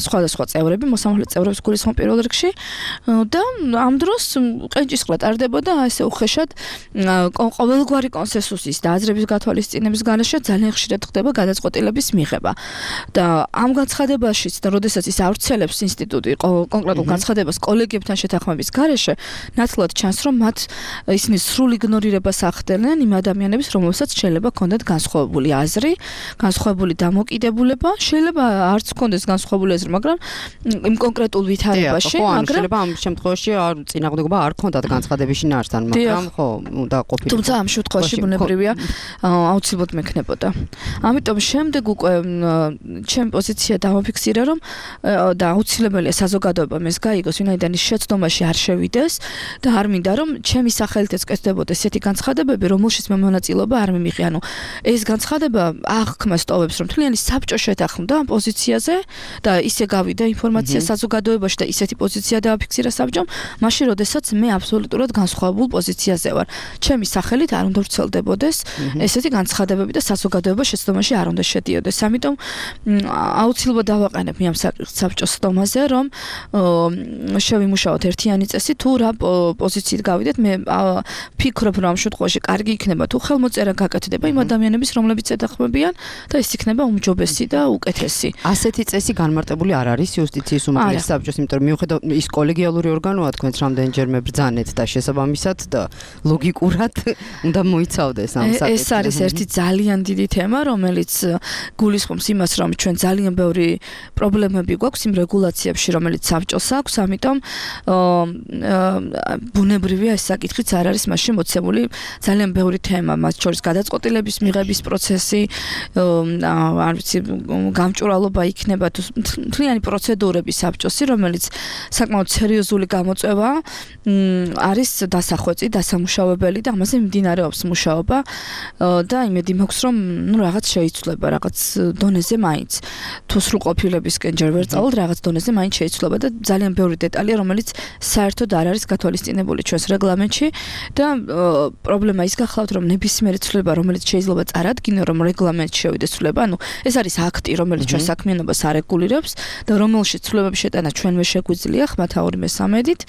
სხვადასხვა წევრები, მოსამართლე წევრებს გულისხმობ პირველ რიგში და ამ დროს კენჭისყრა ტარდებოდა ესე უხეშად ყოველგვარი კონსენსუსის და აზრების გათვალისწინების გარეშე ძალიან ხშირად ხდება გადაწყვეტილების მიღება. და ამ განცხადებაშიც და როდესაც ის ავრცელებს ინსტიტუტი კონკრეტულ განცხადებას კოლეგებთან შეთანხმების გარეშე, ნათლად ჩანს, რომ მათ ისინი სრულ იგნორირებას ახდენენ იმ ადამიანების, რომელსაც შეიძლება ჰქონდეთ განსხვავებული აზრი, განსხვავებული დამოკიდებულება, შეიძლება არც ჰქონდეს განსხვავებული აზრი, მაგრამ იმ კონკრეტულ ვითარებაში,
მაგრამ შეიძლება ამ შემთხვევაში არ წინააღმდეგობა არ ჰქონდათ განცხადების შინაარსთან, მაგრამ ხო, უნდა ყოფილიყო.
თუმცა ამ შემთხვევაში ბუნებრივია აუცილებლად მექნებოდა. ამიტომ შემდეგ უკვე ჩემი პოზიცია დავაფიქსირე, რომ და აუცილებელია საზოგადოებამ ეს გაიგოს, ვინაიდან ის შეცდომაში არ შევიდეს და არ მინდა, რომ ჩემი სახელით ეწკეთდებოდეს ესეთი განცხადებები, რომელშიც მე მონაწილეობა არ მიმიღე. ანუ ეს განცხადება აღქმას ტოვებს, რომ თლიანი საბჭო შეთანხმდა ამ პოზიციაზე და ისე გავიდა ინფორმაცია საზოგადოებაში და ისეთი პოზიცია დააფიქსირა საბჭომ, მაშინ როდესაც მე აბსოლუტურად განსხვავებულ პოზიციაზე ვარ. ჩემი სახელით არ უნდა ვრცელდებოდეს ესეთი განცხადებები და საზოგადოება შეცდომაში არ უნდა შედიოდეს. ამიტომ აუცილებლად დავაყენებ ამ საბჭოს სტომაზე, რომ შევიმუშაოთ ერთიანი წესი, თუ რა პოზიციით გავიდეთ, მე ფიქრობ, რომ ამ შემთხვევაში კარგი იქნება თუ ხელმოწერა გაკეთდება იმ ადამიანების, რომლებიც ეთანხმებიან და ეს იქნება უმჯობესი და უკეთესი.
ასეთი წესი განმარტებული არ არის იუსტიციის უმაღლესი საბჭოს, იმიტომ რომ მიუხედავად ის კოლეგიალური ორგანოა, თქვენც რამდენჯერმე ბრძანეთ და შესაბამისად და ლოგიკურად უნდა მოიცავდეს ამ საკითხს.
ეს არის ერთი ძალიან დიდი თემა, რომელიც გულისხმობს იმას, რომ ჩვენ ძალიან ბევრი პრობლემები გვაქვს იმ რეგულაციებში, რომელიც საბჭოს აქვს, ამიტომ ბუნებრივია ეს საკითხიც არ არის მასში მოცემული ძალიან ბევრი თემა, მათ შორის გადაწყვეტილების მიღების პროცესი, არ ვიცი, გამჭვირვალობა იქნება თუ მთლიანი პროცედურები საბჭოსი, რომელიც საკმაოდ სერიოზული გამოწვევა არის დასახვეწი, დასამუშავებელი და ამაზე მიმდინარეობს მუშაობა და იმედი მაქვს, რომ ნუ რაღაც შეიცვლება, რაღაც დონეზე მაინც. თუ სრულყოფილებისკენ ჯერ ვერ წავალ, რაღაც დონეზე მაინც შეიცვლება და ძალიან ბევრი დეტალია, რომელიც საერთოდ არ არის გათვალისწინებული ჩვენს რეგლამენტში და პრობლემა ის გახლავთ, რომ ნებისმიერი ცვლილება, რომელიც შეიძლება წარადგინო, რომ რეგლამენტში შევიდეს ცვლილება, ანუ ეს არის აქტი, რომელიც ჩვენ საქმიანობას არეგულირებს და რომელშიც ცვლილებების შეტანა ჩვენვე შეგვიძლია ხმათა ორი მესამედით.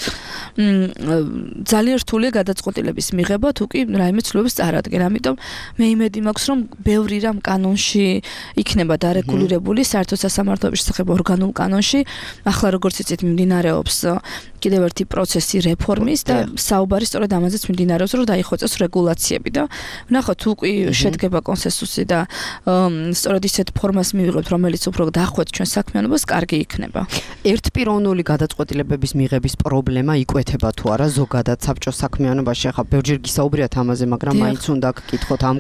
ძალიან რთულია გადაწყვეტილების მიღება, თუ კი რაიმე ცვლილებებს წარადგენ. ამიტომ მე იმედი მაქვს, რომ ბევრი რამ კანონში იქნება დარეგულირებული, საერთო სასამართლოების შესახებ ორგანულ კანონში. ახლა როგორც იცით, მიმდინარეობს კიდევ ერთი პროცესი რეფორმის და საუბარი სწორედ ამაზეც მიმდინარეობს, რომ დაიხოცოს რეგულაციები და ვნახოთ უკვე შედგება კონსენსუსი და სწორედ ისეთ ფორმას მივიღებთ, რომელიც უფრო დახვეწ ჩვენ საქმიანობას, კარგი იქნება.
ერთპიროვნული გადაწყვეტილებების მიღების პრობლემა იკვეთება თუ არა ზოგადად საბჭოს საქმიანობაში? ახლა ბევრჯერ გისაუბრიათ ამაზე, მაგრამ მაინც უნდა გკითხოთ ამ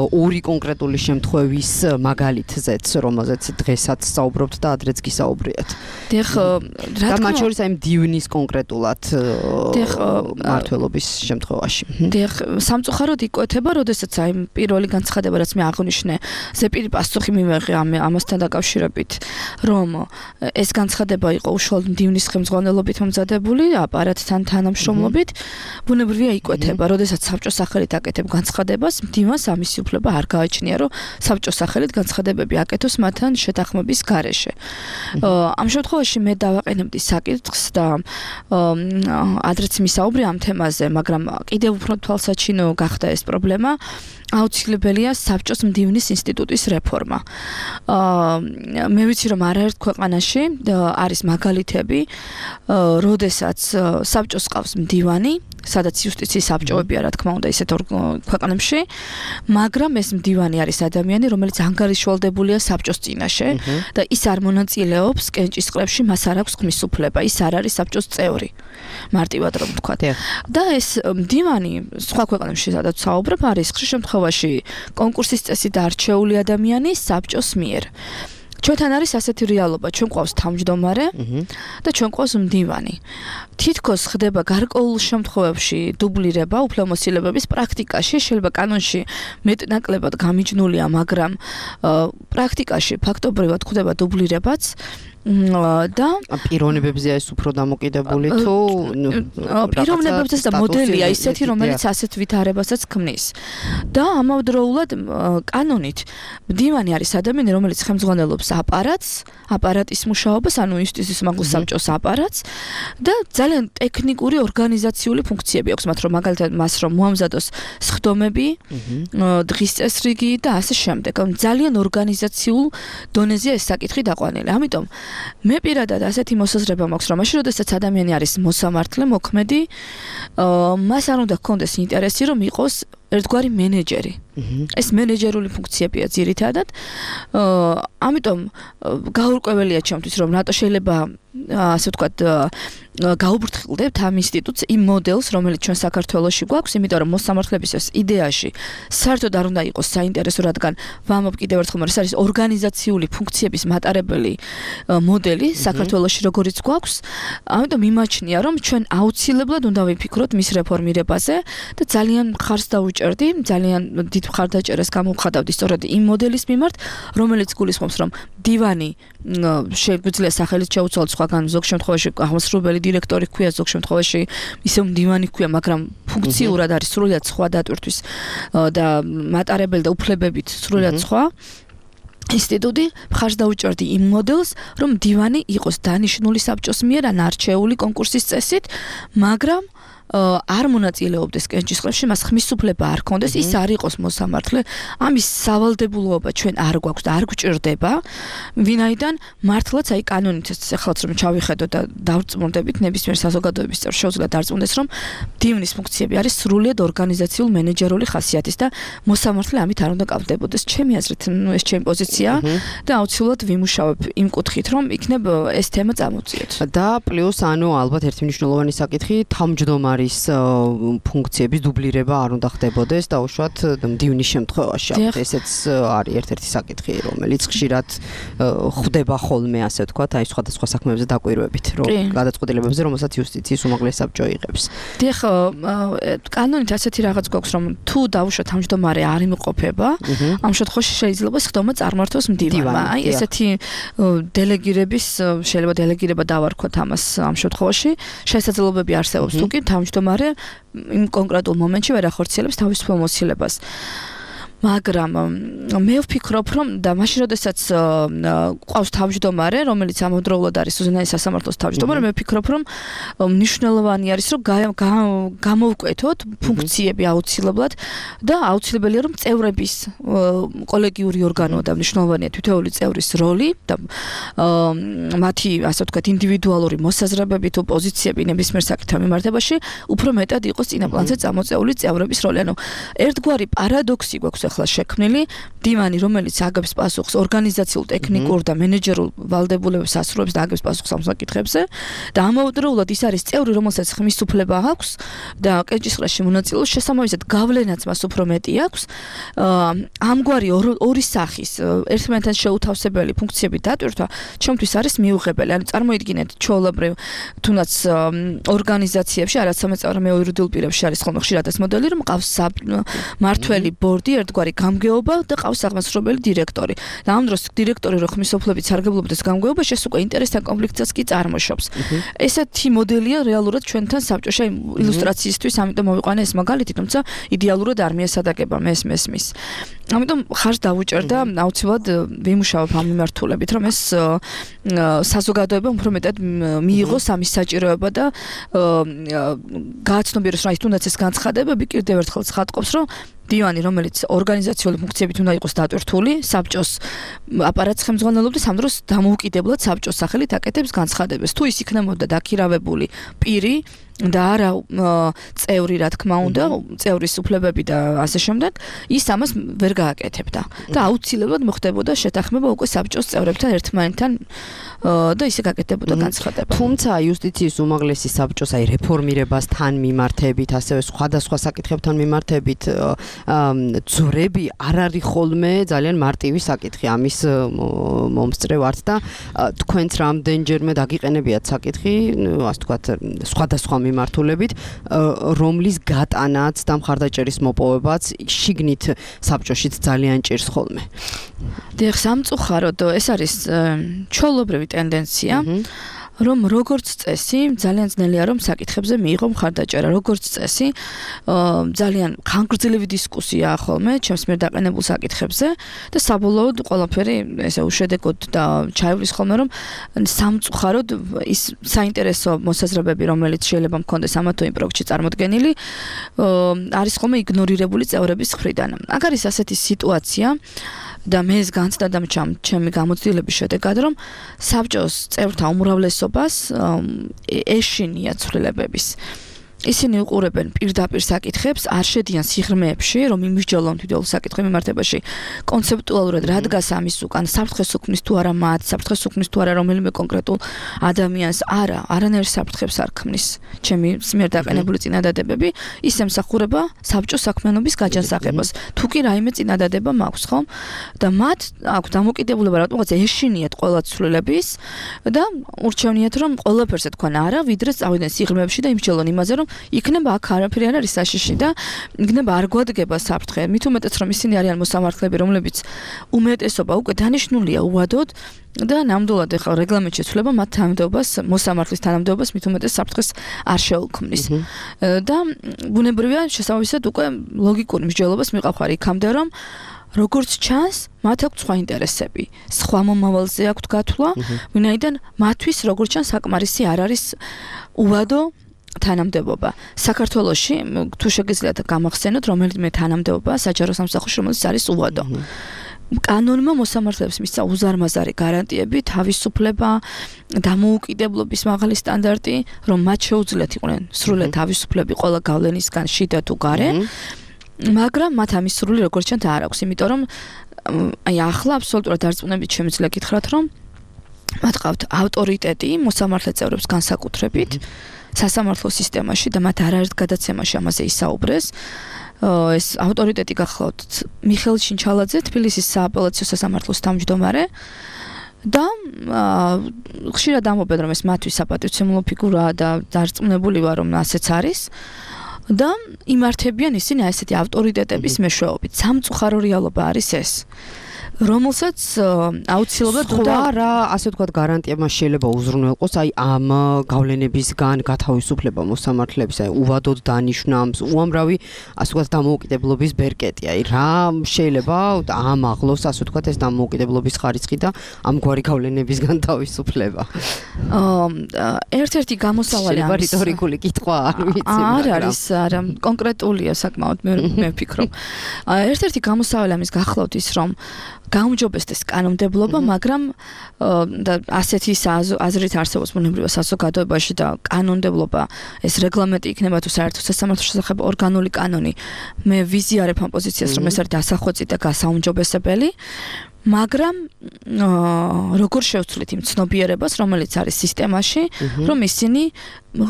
ორი კონკრეტული შემთხვევის მაგალითზეც, რომელზეც დღესაც საუბრობთ და ადრეც გისაუბრიათ.
დიახ, რა თქმა
უნდა, მათ შორის აი მდივნის კონკრეტულად მართლობის შემთხვევაში.
დიახ, სამწუხაროდ იკვეთება, როდესაც აი პირველი განცხადება, რაც მე აღვნიშნე, ზეპირი პასუხი მივიღე ამასთან დაკავშირებით, რომ ეს განცხადება იყო უშუალოდ მდივნის ხელმძღვანელობით მომზადებული, აპარატთან თანამშრომლობით, ბუნებრივია იკვეთება, როდესაც საბჭოს სახელით აკეთებ განცხადებას, მდივანს ამისი უფლება არ გააჩნია, რომ საბჭოს სახელით განცხადებები აკეთოს მათთან შეთანხმების გარეშე. ამ შემთხვევაში მე დავაყენებდი საკითხს და ადრეც მისაუბრე ამ თემაზე, მაგრამ კიდევ უფრო თვალსაჩინო გახდა ეს პრობლემა. აუცილებელია საბჭოს მდივნის ინსტიტუტის რეფორმა. მე ვიცი, რომ არაერთ ქვეყანაში არის მაგალითები, როდესაც საბჭოს ყავს მდივანი, სადაც იუსტიციის საბჭოებია, რა თქმა უნდა, ისეთ ქვეყნებში, მაგრამ ეს მდივანი არის ადამიანი, რომელიც ანგარიშვალდებულია საბჭოს წინაშე და ის არ მონაწილეობს კენჭისყრებში, მას არ აქვს ხმის უფლება, ის არ არის საბჭოს წევრი. მარტივად რომ ვთქვათ. და ეს მდივანი სხვა ქვეყნებში, სადაც საუბრობ, არის ხშირ შემთხვევაში კონკურსის წესით არჩეული ადამიანი საბჭოს მიერ. ჩვენთან არის ასეთი რეალობა, ჩვენ ყავს თავმჯდომარე და ჩვენ ყავს მდივანი. თითქოს ხდება გარკვეულ შემთხვევებში დუბლირება უფლებამოსილებების პრაქტიკაში, შეიძლება კანონში მეტნაკლებად გამიჯნულია, მაგრამ პრაქტიკაში ფაქტობრივად ხდება დუბლირებაც. და
პიროვნებებზე ეს უფრო დამოკიდებული თუ
პიროვნებებზე და მოდელია ისეთი, რომელიც ასეთ ვითარებასაც ქმნის. და ამავდროულად კანონით მდივანი არის ადამიანი, რომელიც ხელმძღვანელობს აპარატს, აპარატის მუშაობას, ანუ იუსტიციის უმაღლეს საბჭოს აპარატს და ძალიან ტექნიკური ორგანიზაციული ფუნქციები აქვს მათ, რომ მაგალითად მას რომ მოამზადოს სხდომები, დღის წესრიგი და ასე შემდეგ. ძალიან ორგანიზაციულ დონეზეა ეს საკითხი დაყვანილი. ამიტომ მე პირადად ასეთი მოსაზრება მაქვს, რომ მაშინ როდესაც ადამიანი არის მოსამართლე, მოქმედი, მას არ უნდა ჰქონდეს ინტერესი, რომ იყოს ერთგვარი მენეჯერი. ეს მენეჯერული ფუნქციებია ძირითადად. ამიტომ გაურკვეველია ჩემთვის, რომ რატო შეიძლება ასე ვთქვათ გაუბრთხილდებთ ამ ინსტიტუტს, იმ მოდელს, რომელიც ჩვენ საქართველოში გვაქვს, იმიტომ რომ მოსამართლების ეს იდეაში საერთოდ არ უნდა იყოს საინტერესო, რადგან ვამბობ კიდევ ერთხელ, რომ ეს არის ორგანიზაციული ფუნქციების მატარებელი მოდელი საქართველოში, როგორც გვაქვს. ამიტომ იმაჩნია, რომ ჩვენ აუცილებლად უნდა ვიფიქროთ მის რეფორმირებაზე და ძალიან მხარს დავუჭერდი, ძალიან დიდ მხარდაჭერას გამოვხატავდი სწორედ იმ მოდელის მიმართ, რომელიც გულისხმობს, რომ დივანი შეგვიძლია სახელით შეუცვალოთ, სხვაგან ზოგ შემთხვევაში აღმასრულებელი დირექტორი ჰქვია, ზოგ შემთხვევაში ისევ მდივანი ჰქვია, მაგრამ ფუნქციურად არის სრულიად სხვა დატვირთვის და მატარებელი და უფლებებით სრულიად სხვა. ინსტიტუტი მხარს დაუჭერდი იმ მოდელს, რომ დივანი იყოს დანიშნული საბჭოს მიერ ან არჩეული კონკურსის წესით, მაგრამ არ მონაწილეობდეს კენჭისყრებში, მას ხმის უფლება არ ჰქონდეს, ის არ იყოს მოსამართლე. ამის სავალდებულოება ჩვენ არ გვაქვს და არ გვჭირდება, ვინაიდან მართლაც აი კანონით ეხლაც რომ ჩავიხედოთ და დავწმუნდებით ნებისმიერ საზოგადოების წევრს შეუძლია დარწმუნდეს, რომ დივნის ფუნქციები არის სრულიად ორგანიზაციულ მენეჯერული ხასიათის და მოსამართლე ამით არ უნდა კავდებოდეს. ჩემი აზრით, ნუ ეს ჩემი პოზიცია და აუცილებლად ვიმუშავებ იმ კუთხით, რომ იქნებ ეს თემა წამოვწიოთ.
და პლუს ანუ ალბათ ერთი მნიშვნელოვანი საკითხი, თავმჯდომარე არის ფუნქციების დუბლირება არ უნდა ხდებოდეს და უშუალოდ მდივნის შემთხვევაში. ესეც არის ერთ-ერთი საკითხი, რომელიც ხშირად ხდება ხოლმე, ასე ვთქვათ, აი სხვადასხვა საქმეებზე დაკვირვებით, რომ გადაწყვეტილებებზე, რომელსაც იუსტიციის უმაღლესი საბჭო იღებს.
დიახ, კანონით ასეთი რაღაც გვაქვს, რომ თუ დაუშვათ თავმჯდომარე არ იმყოფება, ამ შემთხვევაში შეიძლება სხდომა წარმართოს მდივანმა. აი ესეთი დელეგირების, შეიძლება დელეგირება დავარქვათ ამას ამ შემთხვევაში, შესაძლებლობები არსებობს, თუკი თავმჯდომარე იმ კონკრეტულ მომენტში ვერ ახორციელებს თავის ფილმოსილებას. მაგრამ მე ვფიქრობ, რომ და მაშინ როდესაც ყავს თავმჯდომარე, რომელიც ამავდროულად არის უზენაეს სასამართლოს თავმჯდომარე, მე ვფიქრობ, რომ მნიშვნელოვანი არის, რომ გამოვკვეთოთ ფუნქციები აუცილებლად და აუცილებელია, რომ წევრების კოლეგიური ორგანოა და მნიშვნელოვანია თითოეული წევრის როლი და მათი, ასე ვთქვათ, ინდივიდუალური მოსაზრებები თუ პოზიციები ნებისმიერ საკითხთან მიმართებაში უფრო მეტად იყოს წინა პლანზე წამოწეული წევრების როლი. ანუ ერთგვარი პარადოქსი გვაქვს ახლა შექმნილი, დივანი, რომელიც აგებს პასუხს ორგანიზაციულ, ტექნიკურ და მენეჯერულ ვალდებულებებს ასრულებს და აგებს პასუხს ამ საკითხებზე და ამავდროულად ის არის წევრი, რომელსაც ხმის უფლება აქვს და კენჭისყრაში მონაწილეობს, შესაბამისად გავლენაც მას უფრო მეტი აქვს. ამგვარი ორი სახის ერთმანეთთან შეუთავსებელი ფუნქციები დატვირთვა ჩემთვის არის მიუღებელი. ანუ წარმოიდგინეთ, ჩვეულებრივ თუნდაც ორგანიზაციებში, არც სამეწარმე მეოირუდულ პირებში არის ხოლმე ხშირად ეს მოდელი, რომ ყავს მართველი ბორდი, ერთგვარი გამგეობა და ყავს აღმასრულებელი დირექტორი. და ამ დროს დირექტორი რო ხმის უფლებით სარგებლობდეს გამგეობაში, ეს უკვე ინტერესთან კონფლიქტსაც კი წარმოშობს. ესეთი მოდელია რეალურად ჩვენთან საბჭოში, აი ილუსტრაციისთვის, ამიტომ მოვიყვანე ეს მაგალითი, თუმცა იდეალურად არ მიესადაგება მე ეს მესმის. ამიტომ ხარს დავუჭერდა აუცილებლად ვიმუშავებ ამ მიმართულებით, რომ ეს საზოგადოება უფრო მეტად მიიღოს ამის საჭიროება და გააცნობიეროს, რომ აი თუნდაც ეს განცხადებები კიდევ ერთხელ ცხადყოფს, რომ დივანი, რომელიც ორგანიზაციული ფუნქციებით უნდა იყოს დატვირთული, საბჭოს აპარატს ხელმძღვანელობს, ამ დროს დამოუკიდებლად საბჭოს სახელით აკეთებს განცხადებას. თუ ის იქნებოდა დაქირავებული პირი და არა წევრი, რა თქმა უნდა, წევრის უფლებები და ასე შემდეგ, ის ამას ვერ გააკეთებდა. და აუცილებლად მოხდებოდა შეთანხმება უკვე საბჭოს წევრებთან ერთმანეთთან და ისე გაკეთდებოდა განცხადება.
თუმცა იუსტიციის უმაღლესი საბჭოს აი რეფორმირებასთან მიმართებით, ასევე სხვადასხვა საკითხებთან მიმართებით ძვრები არ არის ხოლმე ძალიან მარტივი საკითხი. ამის მომსწრე ვართ და თქვენც რამდენჯერმე დაგიყენებიათ საკითხი, ასე ვთქვათ, სხვადასხვა მიმართულებით, რომლის გატანაც და მხარდაჭერის მოპოვებაც შიგნით საბჭოშიც ძალიან ჭირს ხოლმე.
დიახ, სამწუხაროდ ეს არის ჩვეულებრივი ტენდენცია, რომ როგორც წესი ძალიან ძნელია რომ საკითხებზე მიიღო მხარდაჭერა. როგორც წესი ძალიან ხანგრძლივი დისკუსია ხოლმე ჩემს მიერ დაყენებულ საკითხებზე და საბოლოოდ ყველაფერი ესე უშედეგოდ და ჩაივლის ხოლმე რომ სამწუხაროდ ის საინტერესო მოსაზრებები რომელიც შეიძლება მქონდეს ამა თუ იმ პროექტში წარმოდგენილი არის ხოლმე იგნორირებული წევრების მხრიდან. აქ არის ასეთი სიტუაცია და მე ეს განცდა და ჩემი გამოცდილების შედეგად რომ საბჭოს წევრთა უმრავლესობას ეშინია ცვლილებების. ისინი უყურებენ პირდაპირ საკითხებს, არ შედიან სიღრმეებში, რომ იმისჯელონ თითოეულ საკითხის მიმართებაში კონცეპტუალურად რა დგას ამის უკან, საფრთხეს უქმნის თუ არა მათ, საფრთხეს უქმნის თუ არა რომელიმე კონკრეტულ ადამიანს, არა, არანაირ საფრთხებს არ ქმნის. ჩემი მიერ დაყენებული წინადადებები ის ემსახურება საბჭოს საქმიანობის გაჯანსაღებას. თუ კი რაიმე წინადადება მაქვს, ხო? და მათ აქვს დამოკიდებულება რატომღაც ეშინიათ ყველა ცვლილების და ურჩევნიათ რომ ყველაფერს თქვენ არა, ვიდრე წავიდნენ სიღრმეებში და იმსჯელონ იმაზე, რომ იქნება აქ არაფერი არ არის საშიში და იქნება არ გვადგება საფრთხე. მით უმეტეს რომ ისინი არიან მოსამართლეები, რომლებიც უმეტესობა უკვე დანიშნულია უვადოდ და ნამდვილად ახლა რეგლამენტში ცვლება მათ თანამდებობას, მოსამართლის თანამდებობას მით უმეტეს საფრთხეს არ შეუქმნის. და ბუნებრივია შესაბამისად უკვე ლოგიკური მსჯელობას მიყავხარ იქამდე რომ როგორც ჩანს, მათ აქვს სხვა ინტერესები, სხვა მომავალზე აქვთ გათვლა, ვინაიდან მათთვის როგორც ჩანს საკმარისი არ არის უვადო თანამდებობა. საქართველოში თუ შეგიძლიათ გამახსენოთ, რომელიმე თანამდებობა საჯარო სამსახურში, რომელიც არის უვადო. კანონმა მოსამართლეებს მისცა უზარმაზარი გარანტიები, თავისუფლება, დამოუკიდებლობის მაღალი სტანდარტი, რომ მათ შეუძლიათ იყვნენ სრულად თავისუფლები ყველა გავლენისგან, შიდა თუ გარე. მაგრამ მათ ამის სრული როგორც ჩანს არ აქვს, იმიტომ რომ აი ახლა აბსოლუტურად დარწმუნებით შემიძლია გითხრათ, რომ მათ ყავთ ავტორიტეტი მოსამართლე წევრებს განსაკუთრებით სასამართლო სისტემაში და მათ არაერთ გადაცემაში ამაზე ისაუბრეს. ეს ავტორიტეტი გახლავთ მიხეილ ჩინჩალაძე, თბილისის სააპელაციო სასამართლოს თავმჯდომარე და ხშირად ამბობენ რომ ეს მათთვის საპატივცემულო ფიგურაა და დარწმუნებული ვარ რომ ასეც არის. და იმართებიან ისინი ასეთი ავტორიტეტების მეშვეობით. სამწუხარო რეალობა არის ეს, რომელსაც აუცილებლად
უნდა რა ასე ვთქვათ გარანტია მას შეიძლება უზრუნველყოს აი ამ გავლენებისგან გათავისუფლება მოსამართლეების აი უვადოდ დანიშნავს უამრავი ასე ვთქვათ დამოუკიდებლობის ბერკეტი აი რა შეიძლება ამაღლოს ასე ვთქვათ ეს დამოუკიდებლობის ხარისხი და ამგვარი გავლენებისგან თავისუფლება
ერთ-ერთი გამოსავალი
ამის რიტორიკული კითხვა არ ვიცი
არ არის არა კონკრეტულია საკმაოდ მე მე ვფიქრობ ერთ-ერთი გამოსავალი ამის გახლავთ ის რომ გაუმჯობესდეს კანონმდებლობა, მაგრამ და ასეთი აზრით არსებობს ბუნებრივ საზოგადოებაში და კანონმდებლობა ეს რეგლამენტი იქნება თუ საერთო სასამართლოს შესახებ ორგანული კანონი. მე ვიზიარებ ამ პოზიციას, რომ ეს არის დასახვეწი და გასაუმჯობესებელი, მაგრამ როგორ შევცვლით იმ ცნობიერებას, რომელიც არის სისტემაში, რომ ისინი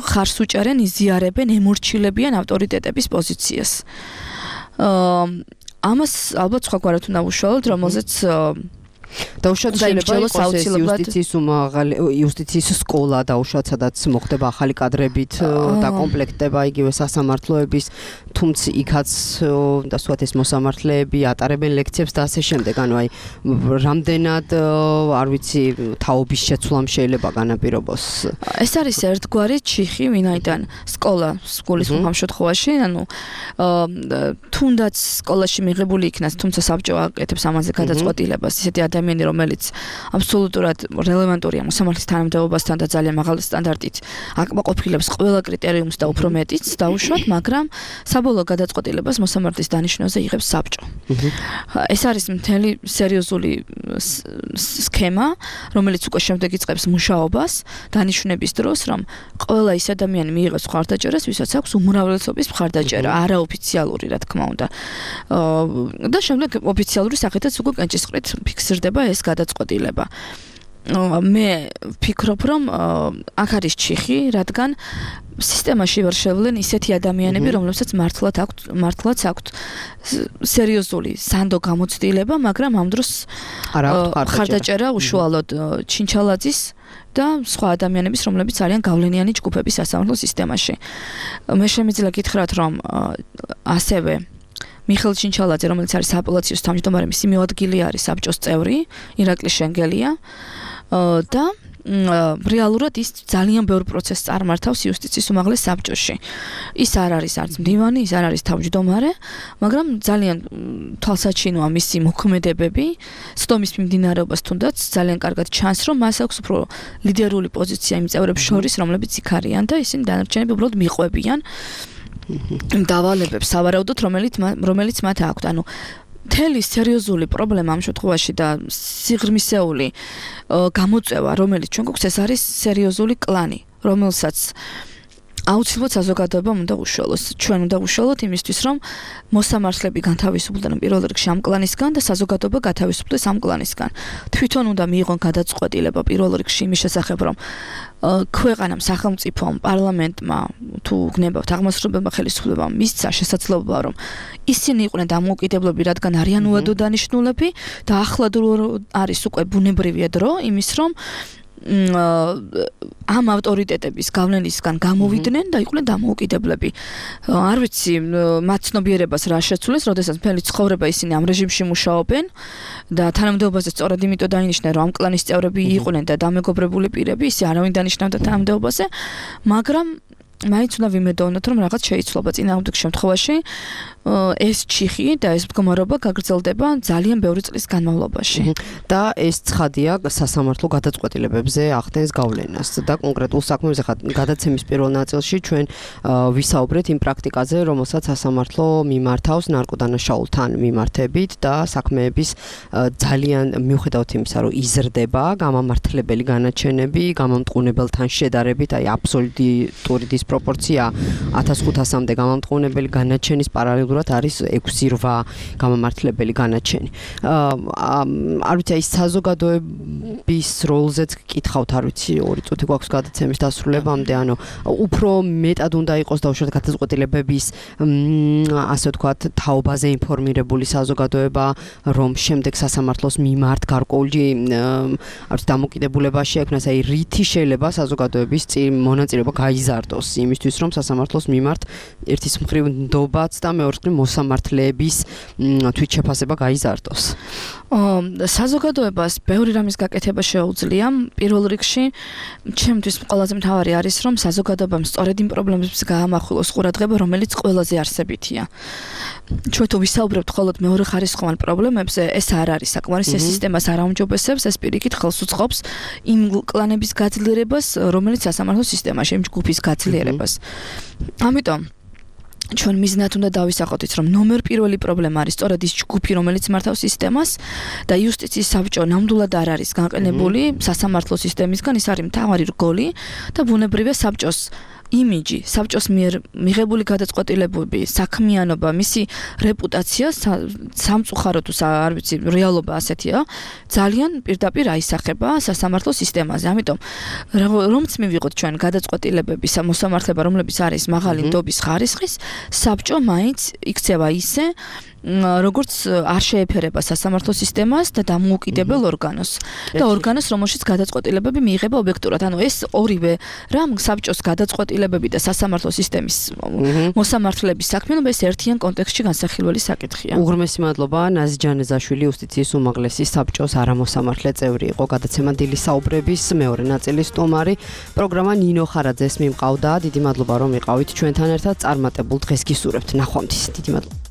ხარს უჭერენ, იზიარებენ, ემორჩილებიან ავტორიტეტების პოზიციას. ამას ალბათ სხვაგვარად უნდა უშუალოდ, რომელზეც
დაუშვათ შეიძლება იყოს იუსტიციის უმაღალი იუსტიციის სკოლა დაუშვათ სადაც მოხდება ახალი კადრებით და კომპლექტება იგივე სასამართლოების თუმცა იქაც და სხვათ ეს მოსამართლეები ატარებენ ლექციებს და ასე შემდეგ ანუ აი რამდენად არ ვიცი თაობის შეცვლამ შეიძლება განაპირობოს
ეს არის ერთგვარი ჩიხი ვინაიდან სკოლა სკოლის ამ შემთხვევაში ანუ თუნდაც სკოლაში მიღებული იქნას თუმცა საბჭო აკეთებს ამაზე გადაწყვეტილებას ისეთი ადამიანი რომელიც აბსოლუტურად რელევანტურია მოსამართლის თანამდებობასთან და ძალიან მაღალი სტანდარტით აკმაყოფილებს ყველა კრიტერიუმს და უფრო მეტიც დაუშვათ, მაგრამ საბოლოო გადაწყვეტილებას მოსამართლის დანიშვნაზე იღებს საბჭო. ეს არის მთელი სერიოზული სქემა, რომელიც უკვე შემდეგ იწყებს მუშაობას დანიშვნების დროს, რომ ყველა ის ადამიანი მიიღებს მხარდაჭერას, ვისაც აქვს უმრავლესობის მხარდაჭერა, არაოფიციალური, რა თქმა უნდა. და შემდეგ ოფიციალური სახითაც უკვე კენჭისყრით ფიქსირდება ეს გადაწყვეტილება. მე ვფიქრობ, რომ აქ არის ჩიხი, რადგან სისტემაში ვერ შევლენ ისეთი ადამიანები, რომლებსაც მართლაც აქვთ, მართლაც აქვთ სერიოზული სანდო გამოცდილება, მაგრამ ამ დროს ხარდაჭერა უშუალოდ ჩინჩალაძის და სხვა ადამიანების, რომლებიც არიან გავლენიანი ჯგუფების სასამართლო სისტემაში. მე შემიძლია გითხრათ, რომ ასევე მიხეილ ჩინჩალაძე, რომელიც არის აპელაციოს თავმჯდომარე, მისი მოადგილე არის საბჭოს წევრი, ირაკლი შენგელია და რეალურად ის ძალიან ბევრ პროცესს წარმართავს იუსტიციის უმაღლეს საბჭოში. ის არ არის არც მდივანი, ის არ არის თავმჯდომარე, მაგრამ ძალიან თვალსაჩინოა მისი მოქმედებები, სხდომის მიმდინარეობას თუნდაც ძალიან კარგად ჩანს, რომ მას აქვს უფრო ლიდერული პოზიცია იმ წევრებს შორის, რომლებიც იქ არიან და ისინი დანარჩენები უბრალოდ მიყვებიან დავალებებს სავარაუდოდ რომელიც რომელიც მათ აქვთ ანუ მთელი სერიოზული პრობლემა ამ შემთხვევაში და სიღრმისეული გამოწვევა რომელიც ჩვენ გვაქვს ეს არის სერიოზული კლანი რომელსაც აუცილებლად საზოგადოებამ უნდა უშუალოს ჩვენ უნდა უშუალოთ იმისთვის რომ მოსამართლეები განთავისუფლდნენ პირველ რიგში ამ კლანისგან და საზოგადოება გათავისუფლდეს ამ კლანისგან თვითონ უნდა მიიღონ გადაწყვეტილება პირველ რიგში იმის შესახებ რომ ქვეყანამ სახელმწიფომ პარლამენტმა თუ გნებავთ აღმასრულებელმა ხელისუფლებამ მისცა შესაძლებლობა რომ ისინი იყვნენ დამოუკიდებლები რადგან არიან უადო დანიშნულები და ახლა არის უკვე ბუნებრივია დრო იმის რომ ამ ავტორიტეტების გავლენისგან გამოვიდნენ და იყვნენ დამოუკიდებლები. არ ვიცი, მათ ცნობიერებას რა შეცვლეს, როდესაც მთელი ცხოვრება ისინი ამ რეჟიმში მუშაობენ და თანამდებობაზე სწორედ იმიტომ დაინიშნა, რომ ამ კლანის წევრები იყვნენ და დამეგობრებული პირები, ისე არავინ დანიშნავდა თანამდებობაზე, მაგრამ მაინც უნდა ვიმედოვნოთ, რომ რაღაც შეიცვლება წინააღმდეგ შემთხვევაში ეს ჩიხი და ეს მდგომარეობა გაგრძელდება ძალიან ბევრი წლის განმავლობაში.
და ეს ცხადია სასამართლო გადაწყვეტილებებზე ახდენს გავლენას და კონკრეტულ საქმეებზე გადაცემის პირველ ნაწილში ჩვენ ვისაუბრეთ იმ პრაქტიკაზე, რომელსაც სასამართლო მიმართავს ნარკოდანაშაულთან მიმართებით და საქმეების ძალიან მიუხედავად იმისა, რომ იზრდება გამამართლებელი განაჩენები გამამტყუნებელთან შედარებით, აი აბსოლუტური დისპროპორცია ათას ხუთასამდე გამამტყუნებელი განაჩენის პარალელურად არის ექვსი რვა გამამართლებელი განაჩენი. არ ვიცი, აი საზოგადოება სულების როლზეც გკითხავთ, არ ვიცი, ორი წუთი გვაქვს გადაცემის დასრულებამდე, ანუ უფრო მეტად უნდა იყოს დაუშვათ გადაწყვეტილებების ასე ვთქვათ, თაობაზე ინფორმირებული საზოგადოება, რომ შემდეგ სასამართლოს მიმართ გარკვეული არ ვიცი დამოკიდებულება შეექმნას, აი რითი შეიძლება საზოგადოების მონაწილეობა გაიზარდოს იმისთვის, რომ სასამართლოს მიმართ ერთის მხრივ ნდობაც და მეორე მხრივ მოსამართლეების თვითშეფასება გაიზარდოს.
საზოგადოებას ბევრი რამის გაკეთება შეუძლია. პირველ რიგში, ჩემთვის ყველაზე მთავარი არის, რომ საზოგადოებამ სწორედ იმ პრობლემებს გაამახვილოს ყურადღება, რომელიც ყველაზე არსებითია. ჩვენ თუ ვისაუბრებთ მხოლოდ მეორეხარისხოვან პრობლემებზე, ეს არ არის საკმარისი, ეს სისტემას არ აუმჯობესებს, ეს პირიქით ხელს უწყობს იმ კლანების გაძლიერებას, რომელიც სასამართლო სისტემაში, იმ ჯგუფის გაძლიერებას. ამიტომ ჩვენ მიზნად უნდა დავისახოთ, რომ ნომერ პირველი პრობლემა არის სწორედ ის ჯგუფი, რომელიც მართავს სისტემას და იუსტიციის საბჭო ნამდვილად არ არის განყენებული სასამართლო სისტემისგან, ის არის მთავარი რგოლი და ბუნებრივია საბჭოს იმიჯი, საბჭოს მიერ მიღებული გადაწყვეტილებები, საქმიანობა, მისი რეპუტაცია, სამწუხაროდ თუ არ ვიცი, რეალობა ასეთია, ძალიან პირდაპირ აისახება სასამართლო სისტემაზე. ამიტომ რომც მივიღოთ ჩვენ გადაწყვეტილებების მოსამართლება, რომლებიც არის მაღალი ნდობის ხარისხის, საბჭო მაინც იქცევა ისე, როგორც არ შეეფერება სასამართლო სისტემას და დამოუკიდებელ ორგანოს და ორგანოს, რომელშიც გადაწყვეტილებები მიიღება ობიექტურად. ანუ ეს ორივე რამ საბჭოს გადაწყვეტილებები და სასამართლო სისტემის მოსამართლეების საქმიანობა ეს ერთიან კონტექსტში განსახილველი საკითხია.
უღრმესი მადლობა, ნაზი ჯანეზაშვილი, იუსტიციის უმაღლესი საბჭოს არამოსამართლე წევრი იყო. გადაცემა დილის საუბრების მეორე ნაწილის სტუმარი. პროგრამა ნინო ხარაძეს მიმყავდა. დიდი მადლობა რომ იყავით ჩვენთან ერთად. წარმატებულ დღეს გისურვებთ. ნახვამდის. დიდი მადლობა.